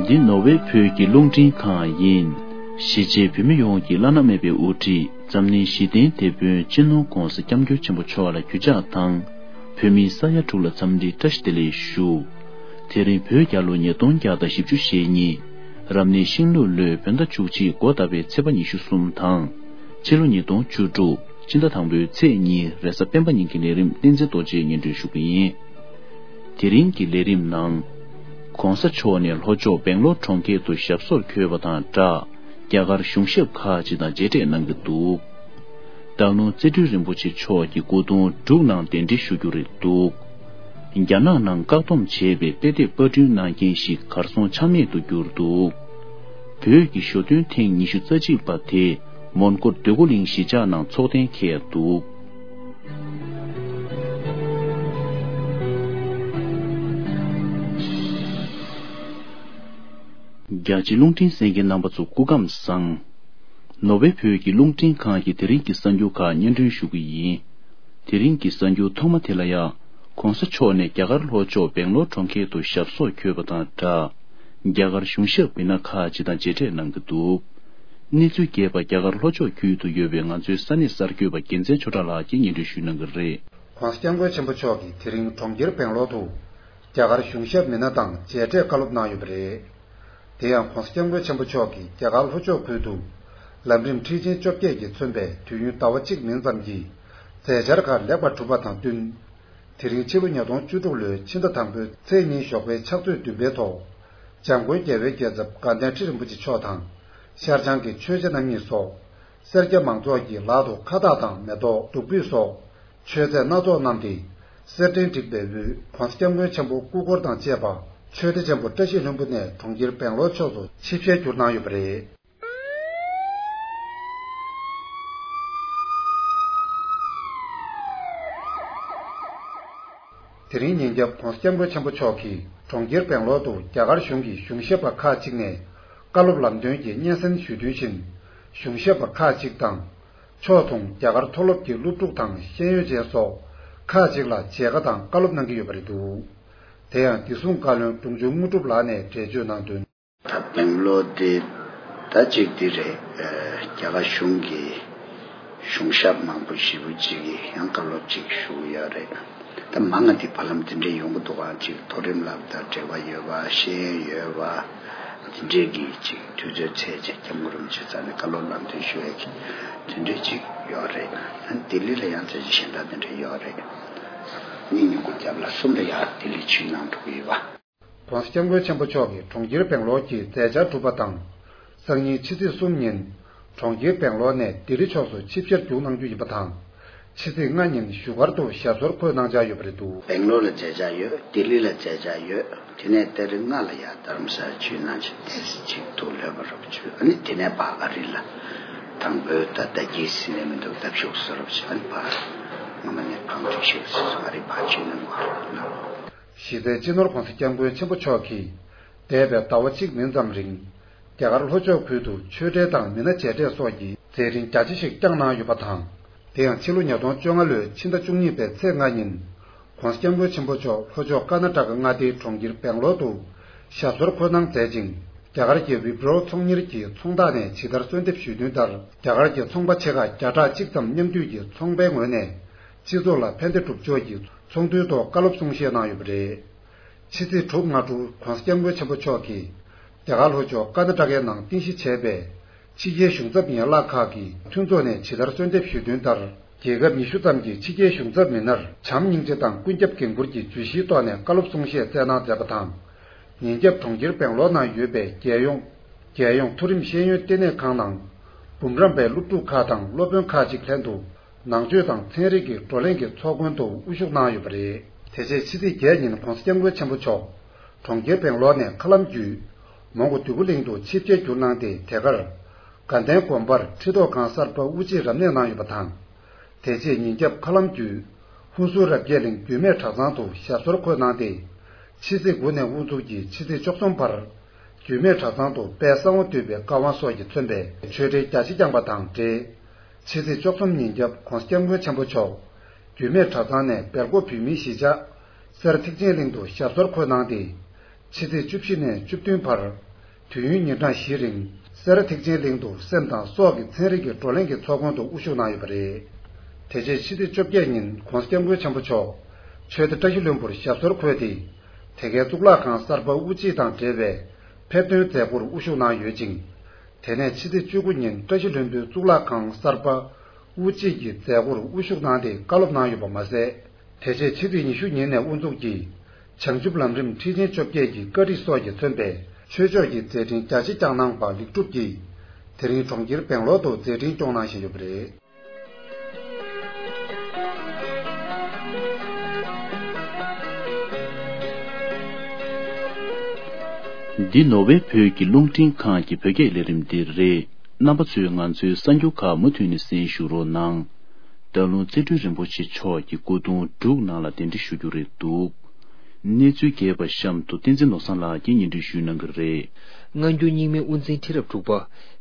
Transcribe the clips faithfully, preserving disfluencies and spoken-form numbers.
འདི་ནོར་ཝེ་བོད་ཀྱི་རླུང་འཕྲིན་ཁང་ཡིན། གཞིས་བྱེས་བོད་མི་ཡོངས་ཀྱི་བླ་ན་མེད་པའི་དབུ་ཁྲིད་འཛམ་གླིང་ཞི་བདེའི་དེད་དཔོན་སྤྱི་ནོར་༧གོང་ས་༧སྐྱབས་མགོན་ཆེན་པོ་མཆོག་ལ་གུས་ཕྱག་དང་། བོད་མིའི་ས་ཡ་དྲུག་ལ་འཚམས་འདྲི་བཀྲ་ཤིས་བདེ་ལེགས་ཞུ། དེ་རིང་བོད་རྒྱལ་ལོ་ཉིས་སྟོང་བརྒྱ་དང་བཞི་བཅུ་ཞེ་གཉིས། རབ་གནས་ཤིང་ལུག་ལོའི་བོད་ཟླ་བཅུ་གཅིག་འགོ་བཏབ་པའི་ཚེས་པ་ཉི་ཤུ་གསུམ་དང་། ཕྱི་ལོ་ཉིས་སྟོང་བཅུ་དྲུག་ཕྱི་ཟླ་དང་པོའི་ཚེས་གཉིས་རེས་གཟའ་སྤེན་པ་ཉིན་གྱི་ལས་རིམ་བསྟན་འཛིན་རྡོ་རྗེས་སྙན་སྒྲོན་ཞུ་གི་ཡིན། དེ་རིང་གི་ལས་རིམ་ནང་། ༸གོང་ས་མཆོག་ནས་ལྷོ་ཕྱོགས་སྦེང་ལོར་གྲོང་ཁྱེར་དུ་ཞབས་སོར་འཁོད་པ་དང་སྦྲགས། རྒྱ་གར་གཞུང་ཞབས་ཁག་ཅིག་དང་མཇལ་འཕྲད་གནང་གི་འདུག་སྟག་ལུང་རྩེ་སྤྲུལ་རིན་པོ་ཆེ་མཆོག་གི་སྐུ་གདུང་འབྲུག་ནང་གདན་འདྲེན་ཞུ་རྒྱུ་རེད་འདུག་རྒྱ་ནག་ནང་བཀག་སྡོམ་བྱས་པའི་དཔེ་དེབ་པར་སྐྲུན་གནང་མཁན་ཞིག་གར་སོང་ཆ་མེད་དུ་གྱུར་འདུག་བོད་ཀྱི་ཞོ་སྟོན་ཐེངས་ཉི་ཤུ་རྩ་གཅིག་པ་དེ་མོན་གྷོ་འདོད་རྒུ་གླིང་གཞིས་ཆགས་ནང་འཚོགས་གཏན་འཁེལ་འདུག་རྒྱ་ཆེ་རླུང་འཕྲིན་གསན་མཁན་རྣམ་པ་ཚོ་སྐུ་ཁམས་བཟང་། ནོར་ཝེ་བོད་ཀྱི་རླུང་འཕྲིན་ཁང་གི་དེ་རིང་གི་གསར་འགྱུར་ཁག་སྙན་སྒྲོན་ཞུ་གི་ཡིན། དེ་རིང་གི་གསར་འགྱུར་ཐོག་མ་དེ་ལ་ཡ། ༸གོང་ས་མཆོག་ནས་རྒྱ་གར་ལྷོ་ཕྱོགས་སྦེང་ལོར་གྲོང་ཁྱེར་དུ་ཞབས་སོར་འཁོད་པ་དང་སྦྲགས། རྒྱ་གར་གཞུང་ཞབས་མི་སྣ་ཁག་ཅིག་དང་མཇལ་འཕྲད་གནང་གི་འདུག་གནས་ཚུལ་རྒྱས་པ་རྒྱ་གར་ལྷོ་ཕྱོགས་ཁུལ་དུ་ཡོད་པའི་ང་ཚོའི་ས་གནས་གསར་འགོད་པ་རྒྱལ་མཚན་ཆོས་གྲགས་ལགས་ཀྱིས་སྙན་སྒྲོན་ཞུ་གནང་གི་རེད། ༸གོང་ས་༸སྐྱབས་མགོན་ཆེན་པོ་མཆོག་གིས་དེ་རིང་གྲོང་ཁྱེར་སྦེང་ལོར་དུ་རྒྱ་གར་གཞུང་ཞབས་མི་སྣ་དང་མཇལ་འཕྲད་བཀའ་སློབ་གནང་ཡོད་པ་རེད། དེ་ཡང་༸གོང་ས་༸སྐྱབས་མགོན་ཆེན་པོ་མཆོག་གིས་རྒྱ་གར་ལྷོ་ཕྱོགས་ཁུལ་དུ་ལམ་རིམ་ཁྲིད་ཆེན་བཅོ་བརྒྱད་ཀྱིས་མཚོན་པའི་དུས་ཡུན་ཟླ་བ་གཅིག་མིན་ཙམ་གྱི་མཛད་འཆར་ཁག་ལེགས་པར་གྲུབ་པ་དང་བསྟུན། དེ་རིང་ཕྱི་ལོ་ཉིས་སྟོང་བཅུ་དྲུག་ལོའི་ཕྱི་ཟླ་དང་པོའི་ཚེས་གཉིས་ཞོགས་པའི་ཕྱག་ཚོད་བདུན་པའི་ཐོག་འཇམ་མགོན་རྒྱལ་བའི་རྒྱལ་ཚབ་དགའ་ལྡན་ཁྲི་རིན་པོ་ཆེ་མཆོག་དང་། ཤར་བྱང་གི་ཆོས་རྗེ་རྣམ་གཉིས་སོགས་སེར་སྐྱ་མང་ཚོགས་ཀྱི་ལག་ཏུ་ཁ་བཏགས་དང་མེ་ཏོག་བདུག་སྤོས་སོགས་མཆོད་རྫས་སྣ་ཚོགས་བསྣམས་ཏེ། གསེར་ཕྲེང་བསྒྲིགས་པའི་དབུས་༸གོང་ས་༸སྐྱབས་མགོན་ཆེན་པོ་སྐུ་འཁོར་དང་བཅས་པ་ཆོས་སྡེ་ཆེན་པོ་བཀྲ་ཤིས་ལྷུན་པོ་ནས་གྲོང་ཁྱེར་སྦེང་ལོར་ཕྱོགས་སུ་ཆིབས་ཞལ་བསྒྱུར་གནང་ཡོད་པ་རེད། དེ་རིང་ཉིན་རྒྱབ་༸གོང་ས་༸སྐྱབས་མགོན་ཆེན་པོ་མཆོག་གིས་གྲོང་ཁྱེར་སྦེང་ལོར་དུ་རྒྱ་གར་གཞུང་གི་གཞུང་ཞབས་པ་ཁག་ཅིག་ནས་བཀའ་སློབ་ལམ་སྟོན་གྱི་སྙན་སེང་ཞུས་དོན་བཞིན། གཞུང་ཞབས་པ་ཁག་ཅིག་དང་། ཕྱོགས་མཚུངས་རྒྱ་གར་མཐོ་སློབ་ཀྱི་སློབ་ཕྲུག་དང་ཤེས་ཡོན་ཅན་སོགས་ཁག་ཅིག་ལ་མཇལ་ཁ་དང་བཀའ་སློབ་གནང་གི་ཡོད་པ་རེད་འདུག་དེ་ཡང་བདེ་སྲུང་བཀའ་བློན་འབྲོང་ཆུང་དངོས་གྲུབ་ལགས་ནས་འགྲེལ་བརྗོད་གནང་དོན། ད་སྦེང་ལོར་དེ་ད་ཅིག་དེ་རེད། རྒྱ་གར་གཞུང་གི་གཞུང་ཞབས་མང་པོ་ཞེ་པོ་ཅིག་གིས་ཡང་བཀའ་སློབ་ཅིག་ཞུ་གི་ཡོད་རེད། ད་མང་ང་དེ་བར་ལམ་དེ་འདྲས་ཡོང་གི་འདུག་ག་ཅིག་མཐོ་རིམ་སློབ་གྲྭ་འབྲེལ་བ་ཡོད་པ་ཤེས་ཡོན་ཡོད་པ་དེ་འདྲས་ཀྱི་ཅིག་དུས་ཚོད་ཚད་ཅིག་སྐྱབས་མགོན་རིན་པོ་ཆེ་རྩ་ནས་བཀའ་སློབ་ལམ་སྟོན་ཞུ་ཡས་ཀྱི་དེ་འདྲས་ཅིག་ཡོད་རེད། ལྡི་ལི་ལ་ཡང་ཚད་ཅིག་གཞན་དག་དེ་འདྲས་ཡོད་རེད། གཉིས་ཉིན་གུང་རྒྱབ་ལ་གསུམ་ལ་ཡང་ལྡི་ལི་ཆུ་ནང་འགྲོ་གི་ཡོད་པ། ༸གོང་ས་༸སྐྱབས་མགོན་ཆེན་པོ་མཆོག་གིས་གྲོང་ཁྱེར་སྦེང་ལོར་གྱི་མཛད་འཆར་གྲུབ་པ་དང་། སང་ཉིན་ཕྱི་ཚེས་གསུམ་ཉིན། གྲོང་ཁྱེར་སྦེང་ལོར་ནས་ལྡི་ལི་ཕྱོགས་སུ་ཆིབས་ཞལ་བསྒྱུར་གནང་རྒྱུ་ཡིན་པ་དང་། ཕྱི་ཚེས་ལྔ་ཉིན་བཞུགས་སྒར་དུ་ཞབས་སོར་འཁོད་གནང་འཆར་ཡོད་པ་རེད་འདུག་སྦེང་ལོར་ལ་མཛད་འཆར་ཡོད། ལྡི་ལི་ལ་མཛད་འཆར་ཡོད། དེ་ནས་ཏ་རིག་ལྔ་ལ་ཡང་རྡ་རམ་ས་ལ་ཆུ་ནང་ཆེ་ཏེ་ཅིག་ཏུ་ལོས་པ་རོབ་ཆུ་ཨ་ནི་དེ་ནས་ཕ་ཨ་རི་ལ་དང་པོའི་ད་ད་གི་སི་ནས་མི་འདུག་ད་བཞུགས་ས་རོབ་ཆུ་ཨ་ནི་ཕ་ང་མ་ནས་གང་དུ་བཞུགས་ས་ཨ་རི་ཕ་ཆུ་ནང་བར་ལ། གཞི་རྩའི་སྤྱི་ནོར་༸གོང་ས་༸སྐྱབས་མགོན་ཆེན་པོ་མཆོག་གིས་འདས་པའི་ཟླ་བ་གཅིག་མིན་ཙམ་རིང་། རྒྱ་གར་ལྷོ་ཕྱོགས་ཁུལ་དུ་ཆོས་འབྲེལ་དང་མི་སྣ་མཇལ་འཕྲད་སོགས་ཀྱི་མཛད་རིམ་རྒྱ་ཆེ་ཞིག་བསྐྱངས་གནང་ཡོད་པ་དང་། དེ་ཡང་ཕྱི་ལོ་ཉིས་སྟོང་བཅོ་ལྔ་ལོའི་ཕྱི་ཟླ་བཅུ་གཉིས་པའི་ཚེས་ལྔ་ཉིན། ༸གོང་ས་༸སྐྱབས་མགོན་ཆེན་པོ་མཆོག་ལྷོ་ཕྱོགས་ཀར་ནཱ་ཊ་ཀ་མངའ་སྡེའི་གྲོང་ཁྱེར་སྦེང་ལོར་དུ་ཞབས་སོར་འཁོད་གནང་མཛད་ཅིང་། རྒྱ་གར་གྱི་ཝི་པྲོ་ཚོང་གཉེར་གྱི་ཚོང་རྟགས་ནས་ཇི་ལྟར་གསོལ་འདེབས་ཞུས་དོན་ལྟར། རྒྱ་གར་གྱི་ཚོང་པ་ཆེ་ཁག་བརྒྱ་ཕྲག་གཅིག་ཙམ་མཉམ་འདུས་ཀྱིས་ཚོང་པའི་ངོས་ནས་སྤྱི་ཚོགས་ལ་ཕན་བདེ་སྒྲུབ་ཕྱོགས་ཀྱི་ཚོགས་འདུའི་ཐོག་བཀའ་སློབ་གསུང་བཤད་གནང་ཡོད་པ་རེད། ཕྱི་ཚེས་དྲུག་སྔ་དྲོ་༸གོང་ས་༸སྐྱབས་མགོན་ཆེན་པོ་མཆོག་གིས་རྒྱ་གར་ལྷོ་ཕྱོགས་ཀར་ནཱ་ཊ་ཀའི་ནང་རྟེན་གཞི་བྱས་པའི་ཕྱི་རྒྱལ་གཞུང་ཚབ་ཡན་ལག་ཁག་གི་མཐུན་ཚོགས་ནས་ཇི་ལྟར་གསོལ་འདེབས་ཞུས་དོན་ལྟར། རྒྱལ་ཁབ་ཉི་ཤུ་ཙམ་གྱི་ཕྱི་རྒྱལ་གཞུང་ཚབ་མི་སྣར་བྱམས་སྙིང་རྗེ་དང་ཀུན་ཁྱབ་འགན་འཁུར་གྱི་བརྗོད་གཞིའི་ཐོག་ནས་བཀའ་སློབ་གསུང་བཤད་སྩལ་གནང་མཛད་པ་དང་། ཉིན་རྒྱབ་གྲོང་ཁྱེར་སྦེང་ལོར་ནང་ཡོད་པའི་རྒྱལ་ཡོངས་རྒྱལ་ཡོངས་མཐོ་རིམ་ཤེས་ཡོན་ལྟེ་གནས་ཁང་ནང་འབུམ་རམས་པའི་སློབ་ཕྲུག་ཁག་དང་སློབ་དཔོན་ཁག་ཅིག་ལྷན་དུ། ནང་ཆོས་དང་ཚན་རིག་གི་བགྲོ་གླེང་གི་ཚོགས་མགོན་དུ་དབུ་བཞུགས་གནང་ཡོད་པ་རེད། དེ་རྗེས་ཕྱི་ཚེས་བརྒྱད་ཉིན་༸གོང་ས་༸སྐྱབས་མགོན་ཆེན་པོ་མཆོག་གྲོང་ཁྱེར་སྦེང་ལོར་ནས་མཁའ་ལམ་བརྒྱུད། མོན་གྷོ་འདོད་རྒུ་གླིང་དུ་ཆིབས་ཞལ་བསྒྱུར་གནང་སྟེ། དེ་གར་དགའ་ལྡན་དགོན་པར་ཁྲི་ཐོག་ཁང་གསར་པ་དབུ་འབྱེད་རབ་གནས་གནང་ཡོད་པ་དང་། དེ་རྗེས་ཉིན་རྒྱབ་མཁའ་ལམ་བརྒྱུད། ཧུན་སུར་རབ་རྒྱས་གླིང་རྒྱུད་སྨད་གྲྭ་ཚང་དུ་ཞབས་སོར་འཁོད་གནང་སྟེ། ཕྱི་ཚེས་དགུ་ནས་དབུ་འཛུགས་ཀྱིས་ཕྱི་ཚེས་བཅུ་གསུམ་བར། རྒྱུད་སྨད་གྲྭ་ཚང་དུ་དཔལ་གསང་བ་འདུས་པའི་བཀའ་དབང་སོགས་ཀྱིས་མཚོན་པའི་ཆོས་འབྲེལ་རྒྱ་ཆེ་བསྐྱངས་པ་དང་འབྲེལ། ཕྱི་ཚེས་བཅུ་གསུམ་ཉིན་རྒྱབ་༸གོང་ས་༸སྐྱབས་མགོན་ཆེན་པོ་མཆོག་རྒྱུད་སྨད་གྲྭ་ཚང་ནས་སྦེལ་ཀོབ་བོད་མིའི་གཞིས་ཆགས་སེར་ཐེག་ཆེན་གླིང་དུ་ཞབས་སོར་འཁོད་གནང་སྟེ། ཕྱི་ཚེས་བཅུ་བཞི་ནས་བཅུ་བདུན་བར་ དུས་ཡུན་ཉིན་གྲངས་བཞིའི་རིང་སེ་ར་ཐེག་ཆེན་གླིང་དུ་སེམས་དང་སྲོག་གི་ཚན་རིག་གི་བགྲོ་གླེང་གི་ཚོགས་ཁང་དུ་དབུ་བཞུགས་གནང་ཡོད་པ་རེད། དེ་རྗེས་ཕྱི་ཚེས་བཅོ་བརྒྱད་ཉིན་༧གོང་ས་༧སྐྱབས་མགོན་ཆེན་པོ་མཆོག་ཆོས་སྡེ་བཀྲ་ཤིས་ལྷུན་པོར་ཞབས་སོར་འཁོད་དེ། དེ་གའི་གཙུག་ལག་ཁང་གསར་པ་དབུ་འབྱེད་དང་འབྲེལ་བའི་ཕེབས་ཐོན་མཛད་སྒོར་དབུ་བཞུགས་གནང་ཡོད་ཅིང་། དེ་ནས་ཕྱི་ཚེས་བཅུ་དགུ་ཉིན་བཀྲ་ཤིས་ལྷུན་པོའི་གཙུག་ལག་ཁང་གསར་པ་དབུ་འབྱེད་ཀྱི་མཛད་སྒོར་དབུ་བཞུགས་གནང་སྟེ་བཀའ་སློབ་གནང་ཡོད་པ་མ་ཟད། དེ་རྗེས་ཕྱི་ཚེས་ཉི་ཤུ་ཉིན་ནས་དབུ་འཛུགས་ཀྱིས་བྱང་ཆུབ་ལམ་རིམ་ཁྲིད་ཆེན་བཅོ་བརྒྱད་ཀྱི་བཀའ་ཁྲིད་སོགས་ཀྱིས་མཚོན་པའི་ཆོས་ཕྱོགས་ཀྱི་མཛད་འཕྲིན་རྒྱ་ཆེ་བསྐྱངས་གནང་བ་ལེགས་གྲུབ་ཀྱིས། དེ་རིང་གྲོང་ཁྱེར་སྦེང་ལོར་དུ་མཛད་འཕྲིན་སྐྱོང་གནང་བཞིན་ཡོད་པ་རེད། འདི་ནོར་ཝེ་བོད་ཀྱི་རླུང་འཕྲིན་ཁང་གི་བོད་སྐད་ལས་རིམ་འདི་རེད། རྣམ་པ་ཚོས་ང་ཚོའི་གསར་འགྱུར་ཁག་མུ་མཐུད་ནས་གསན་ཞུ་རོགས་གནང་། སྟག་ལུང་རྩེ་སྤྲུལ་རིན་པོ་ཆེ་མཆོག་གི་སྐུ་གདུང་འབྲུག་ནང་ལ་གདན་འདྲེན་ཞུ་རྒྱུ་རེད་འདུག་གནས་ཚུལ་རྒྱས་པ་གཤམ་དུ་བསྟན་འཛིན་ནོར་བཟང་ལགས་ཀྱིས་སྙན་སྒྲོན་ཞུ་གནང་གི་རེད། སྔ་འགྱུར་རྙིང་མའི་དབུ་འཛིན་ཁྲི་རབས་དྲུག་པ་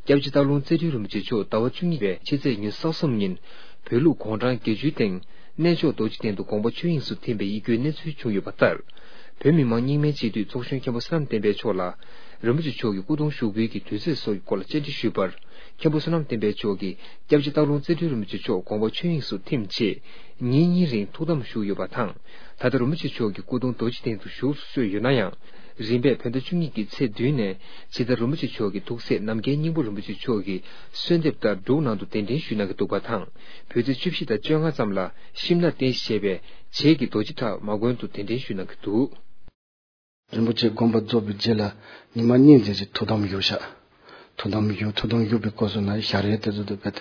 སྐྱབས་རྗེ་སྟག་ལུང་རྩེ་སྤྲུལ་རིན་པོ་ཆེ་མཆོག་ཟླ་བ་བཅུ་གཉིས་པའི་ཕྱི་ཚེས་ཉི་ཤུ་རྩ་གསུམ་ཉིན་བོད་ལུགས་གུང་ཁྲན་བརྒྱད་ཅུའི་སྟེང་གནས་མཆོག་རྡོ་རྗེ་གདན་དུ་དགོངས་པ་ཆོས་དབྱིངས་སུ་ཐིམ་པའི་ཡིད་སྐྱོའི་གནས་ཚུལ་བྱུང་ཡོད་པ་ལྟར། བོད་མི་མང་རྙིང་མའི་སྤྱི་འཐུས་ཚོགས་གཞོན་མཁན་པོ་བསོད་ནམས་བསྟན་འཕེལ་མཆོག་ལ་རིན་པོ་ཆེ་མཆོག་གི་སྐུ་གདུང་ཞུགས་འབུལ་གྱི་དུས་ཚོད་སོགས་ཀྱི་སྐོར་ལ་བཅར་འདྲི་ཞུས་པར། མཁན་པོ་བསོད་ནམས་བསྟན་འཕེལ་མཆོག་གིས་སྐྱབས་རྗེ་སྟག་ལུང་རྩེ་སྤྲུལ་རིན་པོ་ཆེ་མཆོག་དགོངས་པ་ཆོས་དབྱིངས་སུ་ཐིམ་རྗེས་ཉིན་གཉིས་རིང་ཐུགས་དམ་བཞུགས་ཡོད་པ་དང་། ད་ལྟ་རིན་པོ་ཆེ་མཆོག་གི་སྐུ་གདུང་རྡོ་རྗེ་གདན་དུ་བཞུགས་སུ་གསོལ་ཡོད་ན་ཡང་། རིམ་པས་བོད་ཟླ་བཅུ་གཉིས་ཀྱི་ཚེས་བདུན་ནས་ཇི་ལྟར་རིན་པོ་ཆེ་མཆོག་གི་ཐུགས་སྲས་ནམ་མཁའི་སྙིང་པོ་རིན་པོ་ཆེ་མཆོག་གི་གསོལ་འདེབས་ལྟར་འབྲུག་ནང་དུ་གདན་འདྲེན་ཞུས་གནང་གི་འདུག་པ་དང་། བོད་ཚེས་བཅུ་བཞི་དང་བཅོ་ལྔ་ཙམ་ལ་ཤིམ་ལ་རྟེན་གཞི་བྱས་པའི་བྱེས་ཀྱི་རྡོ་རྗེ་བྲག་མ་དགོན་དུ་གདན་འདྲེན་ཞུས་གནང་གི་འདུག་རིན་པོ་ཆེ་དགོངས་པ་རྫོགས་པའི་རྗེས་ལ་ཉི་མ་གཉིས་ཙམ་ཅིག་ཐུགས་དམ་བཞུགས་ཤག་ཐུགས་དམ་བཞུགས། ཐུགས་དམ་བཞུགས་པའི་སྐབས་སུ་ན་ཞལ་རས་དེ་ཚོ་དེ་བེད་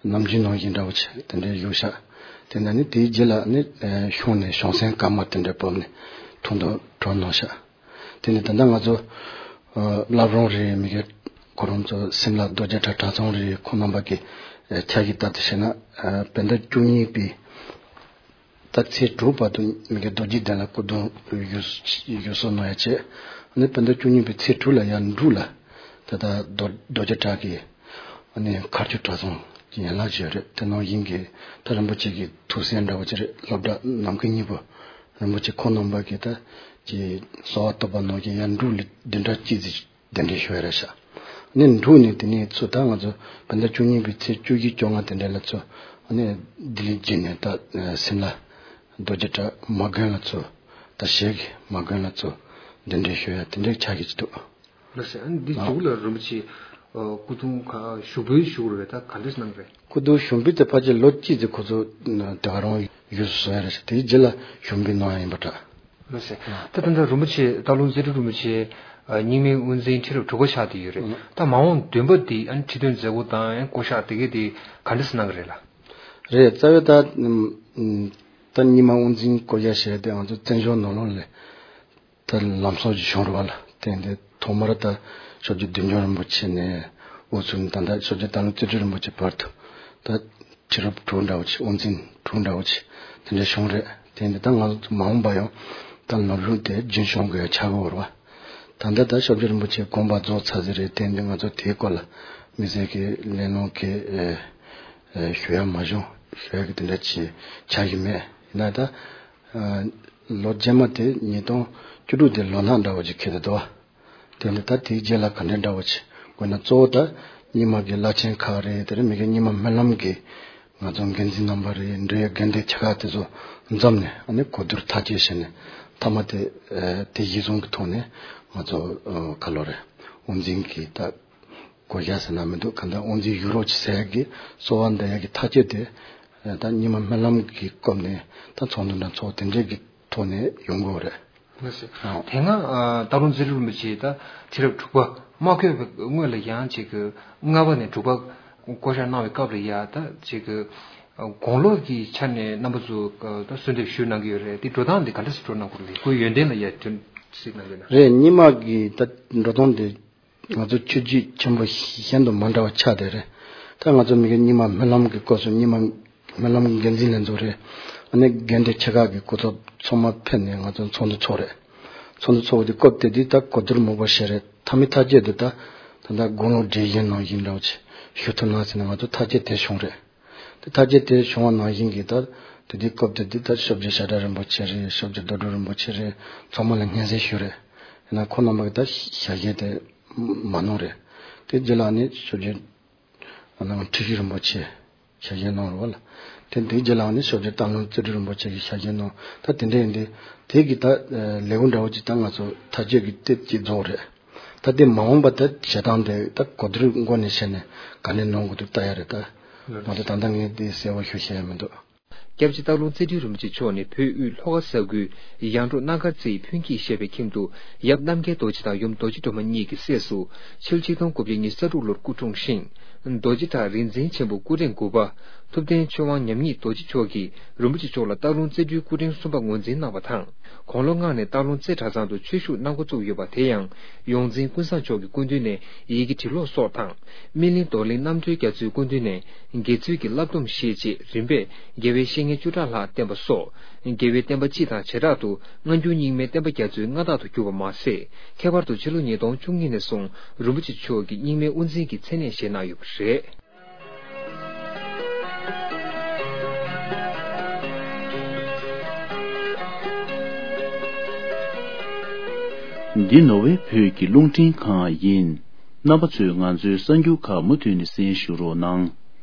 ནམ་རྒྱུན་ནང་བཞིན་འདྲ་བོ་ཆེ་དེ་འདྲའི་བཞུགས་ཤག་དེ་ནས་ནི་དེའི་རྗེས་ལ་ནི་གཞུང་ནས་གཞུང་སྲན་སྐར་མ་དེ་འདྲ་བབས་ནས་འཁྲུངས་འདུག་གྲོལ་གནང་ཤག་དེ་ནས་ད་ལྟ་ང་ཚོ་བླ་བྲང་རེད། མི་གི་ཁོ་རང་ཚོ་སིམ་ལ་རྡོ་རྗེ་བྲག་གྲྭ་ཚང་རེད། ཁོང་རྣམ་པ་གི་ཆ་གི་ལྟར་དུ་བྱས་ན་བོད་ཟླ་བཅུ་གཉིས་པའི་ད་ཚེས་དྲུག་བར་དུ་མི་གི་རྡོ་རྗེ་གདན་ལ་སྐུ་གདུང་ཡོད་ཡོད་སོ་ནོ་ཡ་བྱས། ཨ་ནི་བོད་ཟླ་བཅུ་གཉིས་པའི་ཚེས་དྲུག་ལ་ཡར་འབྲུག་ལ་ད་ལྟ་རྡོ་རྡོ་རྗེ་བྲག་གི་ཨ་ནི་མཁར་ཆུ་གྲྭ་ཚང་གི་ཡན་ལག་ཅིག་རེད། དེ་ནང་བཞིན་གྱི་ད་རིན་པོ་ཆེ་གི་ཐུགས་སྲས་འདྲ་བོ་ཅིག་རེད། སློབ་གྲྭ་ནམ་མཁའི་སྙིང་པོ་རིན་པོ་ཆེ་ཁོང་རྣམ་པ་གི་ད་ཀྱི་གསོལ་བ་བཏབ་པ་ནང་བཞིན་ཡར་འབྲུག་ལ་བདུན་ཕྲག་གཅིག་ཙམ་གདན་འདྲེན་ཞུ་ཡ་རེད་ཤག་ཨ་ནི་འབྲུག་ནས་དེ་ནས་ཚུར་ད་ང་ཚོ་བོད་ཟླ་བཅུ་གཉིས་པའི་ཚེས་བཅུ་བཞི་བཅོ་ལྔ་དེ་འདྲ་ལ་ཚུར་ཨ་ནི་ལྡི་ལི་བརྒྱུད་ནས་ད་སིམ་ལ་རྡོ་རྗེ་བྲག་མ་དགོན་ལ་ཚུར་ད་ཞལ་གྱི་མ་དགོན་ལ་ཚུར་གདན་འདྲེན་ཞུ་ཡ་དེ་འདྲའི་ཆ་གི་ཅིག་འདུག་ལགས་སོ། ཨ་ནི་འདི་མཇུག་ལ་རིན་པོ་ཆེ་སྐུ་གདུང་ཞུགས་འབུལ་ཞུ་དགོས་རེད་པས། ད་ག་འདྲས་གནང་གི་རེད། སྐུ་གདུང་ཞུགས་འབུལ་དེ་ཕལ་ཆེར་ལོ་གཅིག་ཙམ་ཁོ་ཚོ་དེ་ག་རང་ཡོད་བཟོ་ཡ་རེད་ཤག་དེའི་རྗེས་ལ་ཞུགས་འབུལ་གནང་ཡ་ཡིན་པ་འདྲ། ལགས་སོ། ད་ད་ལྟ་རིན་པོ་ཆེ་སྟག་ལུང་རྩེ་སྤྲུལ་རིན་པོ་ཆེ་རྙིང་མའི་དབུ་འཛིན་ཁྲི་རབས་དྲུག་པ་ཆགས་བསྡད་ཡོད་རེད། ད་མ་འོངས་བདུན་པ་འདི་ཨ་ནི་ཁྲི་སྟོན་མཛད་སྒོ་དང་ཨ་ནི་བསྐོ་བཞག་དེ་གས་དེ་ག་འདྲས་གནང་གི་རེད་ལགས། རེད། རྩ་བའི་ད་ད་རྙིང་མ་དབུ་འཛིན་བསྐོ་བཞག་བྱས་ཏེ་ང་ཚོ་བཙན་བྱོལ་ནང་ལོགས་ལ་ད་ལམ་སང་ཅིག་བྱུང་རེད་པ་ལགས། དེ་འདི་ཐོག་མར་ད་ཤོབ་རྗེ་བདུད་འཇོམས་རིན་པོ་ཆེ་ནས་དབུ་ཚུགས་ནས་ད་ལྟ་ཤོབ་རྗེ་སྟག་ལུང་རྩེ་སྤྲུལ་རིན་པོ་ཆེ་བར་དུ་ད་ཁྲི་རབས་དྲུག་འདྲ་བོ་ཅིག་དབུ་འཛིན་དྲུག་འདྲ་བོ་ཅིག་དེ་འདྲ་བྱུང་རེད། དེ་འདི་ད་ང་ཚོ་མ་འོངས་པ་ཡང་ད་ནོར་ལུག་དེ་རྒྱུན་སྐྱོང་དགོས་ཡ་ཆགས་ཀྱི་ཡོད་རེད་པ། ད་ལྟ་ད་ཤོབ་རྗེ་རིན་པོ་ཆེ་དགོངས་པ་རྫོགས་ཚར་ཟིན་རེད། དེ་འདི་ང་ཚོ་དེའི་སྐོར་ལ་དམིགས་བསལ་གྱི་གླེང་སློང་གི་ཨེ་ཨེ་ཞུ་ཡ་མ་བྱུང་། ཞུ་ཡ་གི་དེ་འདྲ་ཅིག་ཆགས་ཀྱི་མེད། ཡིན་ན་ད་ཨ་ལོ་རྗེས་མ་དེ་ཉིས་སྟོང་བཅུ་དྲུག་དེ་ལོ་ནག་འདྲ་བོ་ཅིག་འཁེལ་བསྡད་འདུག་པ། དེ་ནི་ད་དེའི་རྗེས་ལ་ག་འདྲ་འདྲ་བོ་ཅིག་དགོས་ན། གཙོ་བོ་ད་རྙིང་མ་གི་བླ་ཆེན་ཁག་རེད། དེ་རིང་མི་གི་རྙིང་མ་སྨོན་ལམ་གི་ང་ཚོ་འགན་འཛིན་རྣམ་པ་རེད། འབྲེལ་ཡོད་འགན་འདི་ཆ་ཁག་དེ་ཚོ་འཛོམས་ནས་ཨ་ནི་གོ་བསྡུར་ཐག་གཅོད་བྱས་ནས་མཐའ་མ་དེ་ཨ་དེ་གཞི་བཟུང་གི་ཐོག་ནས་ང་ཚོ་ཨ་ག་ལོ་རེད། དབུ་འཛིན་གི་ད་བསྐོ་བཞག་ཟེར་ན་མི་འདུག་གང་ལྟར་དབུ་འཛིན་ཞུ་རོགས་ཅིག་ཟེར་ཡ་གི་གསོལ་བ་འདེབས་ཡ་གི་ཐག་གཅོད་དེ་ཨ་ད་རྙིང་མ་སྨོན་ལམ་གི་སྐབས་ནས་ད་ཚོགས་འདུ་འདྲ་ཚོགས་དེ་འདྲའི་གི་ཐོག་ནས་ཡོང་དགོས་རེད། ལགས་སོ། ཨ་དེ་སྔ་ཨ་སྟག་ལུང་རྩེ་སྤྲུལ་རིན་པོ་ཆེ་ད་ཁྲི་རབས་དྲུག་པ་མ་བསྐོས་པའི་སྔོན་ལ་ཡང་ཅིག་གི་ལྔ་པ་ནས་དྲུག་པ་བསྐོ་བཞག་གནང་བའི་སྐབས་ལ་ཡ་ད་ཅིག་གི་ཨ་དགུང་ལོ་གི་ཆ་ནས་རྣམ་པ་ཚོ་ཨ་ད་གསོལ་འདེབས་ཞུས་གནང་གི་ཡོད་རེད། དེ་འགྲོ་སྟངས་དེ་ག་འདྲ་ཞིག་འགྲོ་གནང་དགོས་རེད། ཁོའི་ཡོན་ཏན་ལ་ཡ་དོན་ཞིག་གནང་གི་ན། རེད། རྙིང་མ་གི་ད་འགྲོ་སྟངས་དེ་ང་ཚོ་ཆོས་བརྒྱུད་ཆེན་པོ་གཞན་དང་མ་འདྲ་བ་ཆགས་བསྡད་རེད། ད་ང་ཚོ་མི་གི་རྙིང་མ་སྨོན་ལམ་གི་སྐབས་སུ་རྙིང་མ་སྨོན་ལམ་འགན་འཛིན་ལྷན་ཚོགས་རེད། ཨ་ནི་དགོན་སྡེ་ཆེ་ཁག་གི་སྐུ་ཚབ་ཚང་མ་ཕེབས་ནས་ང་ཚོ་ཚོགས་འདུ་ཚོགས་རེད། ཚོགས་འདུ་ཚོགས་དུས་སྐབས་དེ་དུས་ད་གོ་བསྡུར་མང་པོ་བྱས་རེད། མཐའ་མའི་ཐག་བཅད་དུ་ད་ད་ལྟ་དགུང་ལོ་བགྲེས་གཞོན་ནང་བཞིན་འདྲ་བོ་ཅིག་ཞུ་ཐུབ་ན་ཟེར་ནས་ང་ཚོ་ཐག་བཅད་དེ་བྱུང་རེད། དེ་ཐག་བཅད་དེ་བྱུང་བ་ནང་བཞིན་གྱི་ད་དེ་དུས་སྐབས་དེ་དུས་ད་ཤོབ་རྗེ་ཤ་ཁྲག་རིན་པོ་ཆེ་རེད། ཤོབ་རྗེ་རྡོ་གྲུབ་རིན་པོ་ཆེ་རེད། ཚང་མ་ལ་སྙན་སེང་ཞུས་རེད། ཡིན་ན་ཁོང་རྣམ་པ་གི་ད་ཞལ་བཞེས་དེ་ མ་གནང་རེད། དེ་རྗེས་ལ་ནི་ཆོས་རྗེ་ཨ་ནང་ཁྲི་ཤོད་རིན་པོ་ཆེ་ཞལ་བཞེས་གནང་རེད་བ་ལ། དེ་འདི་རྗེས་ལ་ནི་ཆོས་རྗེ་སྟག་ལུང་རྩེ་སྤྲུལ་རིན་པོ་ཆེ་གིས་ཞལ་བཞེས་གནང་། ད་དེ་འདྲ་ཡིན་དུས་དེ་གི་ད་ལེའུ་འདྲ་བོ་ཅིག་ད་ང་ཚོ་མཐའ་དཔྱོད་ཀྱི་དེབ་ཅིག་རྫོགས་རེད། ད་དེ་མ་འོངས་པ་ད་བྱེད་སྟངས་དེ་ད་གོ་བསྡུར་སྒོ་ནས་བྱས་ནས་ག་ནས་གནང་དགོས་འདུག་ལྟ་ཡ་རེད། ད་ང་ཚོ་ད་ལྟ་ངས་དེ་གསལ་པོ་ཞུ་ཤེས་ཡ་མི་འདུག། སྐྱབས་རྗེ་སྟག་ལུང་རྩེ་སྤྲུལ་རིན་པོ་ཆེ་མཆོག་ནི་བོད་དབུས་ལྷོ་ཁ་ས་ཁུལ་ཡང་འབྲོག་སྣ་དཀར་རྩེའི་ཕུན་སྐྱིད་ཞེས་པའི་ཁྱིམ་དུ་ཡབ་རྣམ་རྒྱལ་རྡོ་རྗེ་དང་ཡུམ་རྡོ་རྗེ་སྒྲོལ་མ་གཉིས་ཀྱི་སྲས་སུ་ཕྱི་ལོ་ཆིག་སྟོང་དགུ་བརྒྱ་ཉི་ཤུ་རྩ་དྲུག་ལོར་སྐུ་འཁྲུངས་ཤིང་། རྡོ་རྗེ་བྲག་རིག་འཛིན་ཆེན་པོ་སྐུ་ཕྲེང་དགུ་པ་ཐུབ་བསྟན་ཆོས་དབང་ཉམས་ཉིད་རྡོ་རྗེ་མཆོག་གིས་རིན་པོ་ཆེ་མཆོག་ལ་སྟག་ལུང་རྩེ་སྤྲུལ་སྐུ་ཕྲེང་གསུམ་པ་ངོས་འཛིན་གནང་བ་དང་། དགུང་ལོ་ལྔ་ནས་སྟག་ལུང་རྩེ་གྲྭ་ཚང་དུ་ཆོས་ཞུགས་གནང་འགོ་བཙུགས་ཡོད་པ། དེ་ཡང་ཡོངས་འཛིན་ཀུན་བཟང་མཆོག་གི་སྐུ་མདུན་ནས་ཡི་གེ་འབྲི་ཀློག་སོགས་དང་། སྨིན་གླིང་རྡོར་གླིང་རྣམ་གྲོལ་རྒྱ་མཚོའི་སྐུ་མདུན་ནས་དགེ་ཚུལ་གྱི་བསླབ་སྡོམ་བཞེས་རྗེས་རིམ་པས་དགེ་བའི་བཤེས་གཉེན་བཅུ་ཕྲག་ལྷག་བསྟེན་པ་སོགས། དགེ་བའི་བསྟན་པ་སྤྱི་དང་བྱེ་བྲག་ཏུ་སྔ་འགྱུར་རྙིང་མའི་བསྟན་པ་རྒྱ་མཚོའི་མངའ་བདག་ཏུ་གྱུར་པ་མ་ཟད། ཁྱད་པར་དུ་ཕྱི་ལོ་ཉིས་སྟོང་བཅུ་གཉིས་ནས་བཟུང་རིན་པོ་ཆེ་མཆོག་གིས་རྙིང་མའི་དབུ་འཛིན་གྱི་མཚན་གནས་བཞེས་གནང་ཡོད་པ་རེད། འདི་ནོར་ཝེ་བོད་ཀྱི་རླུང་འཕྲིན་ཁང་ཡིན། རྣམ་པ་ཚོས་ང་ཚོའི་གསར་འགྱུར་ཁག་མུ་མཐུད་ནས་གསན་ཞུ་རོགས་གནང་།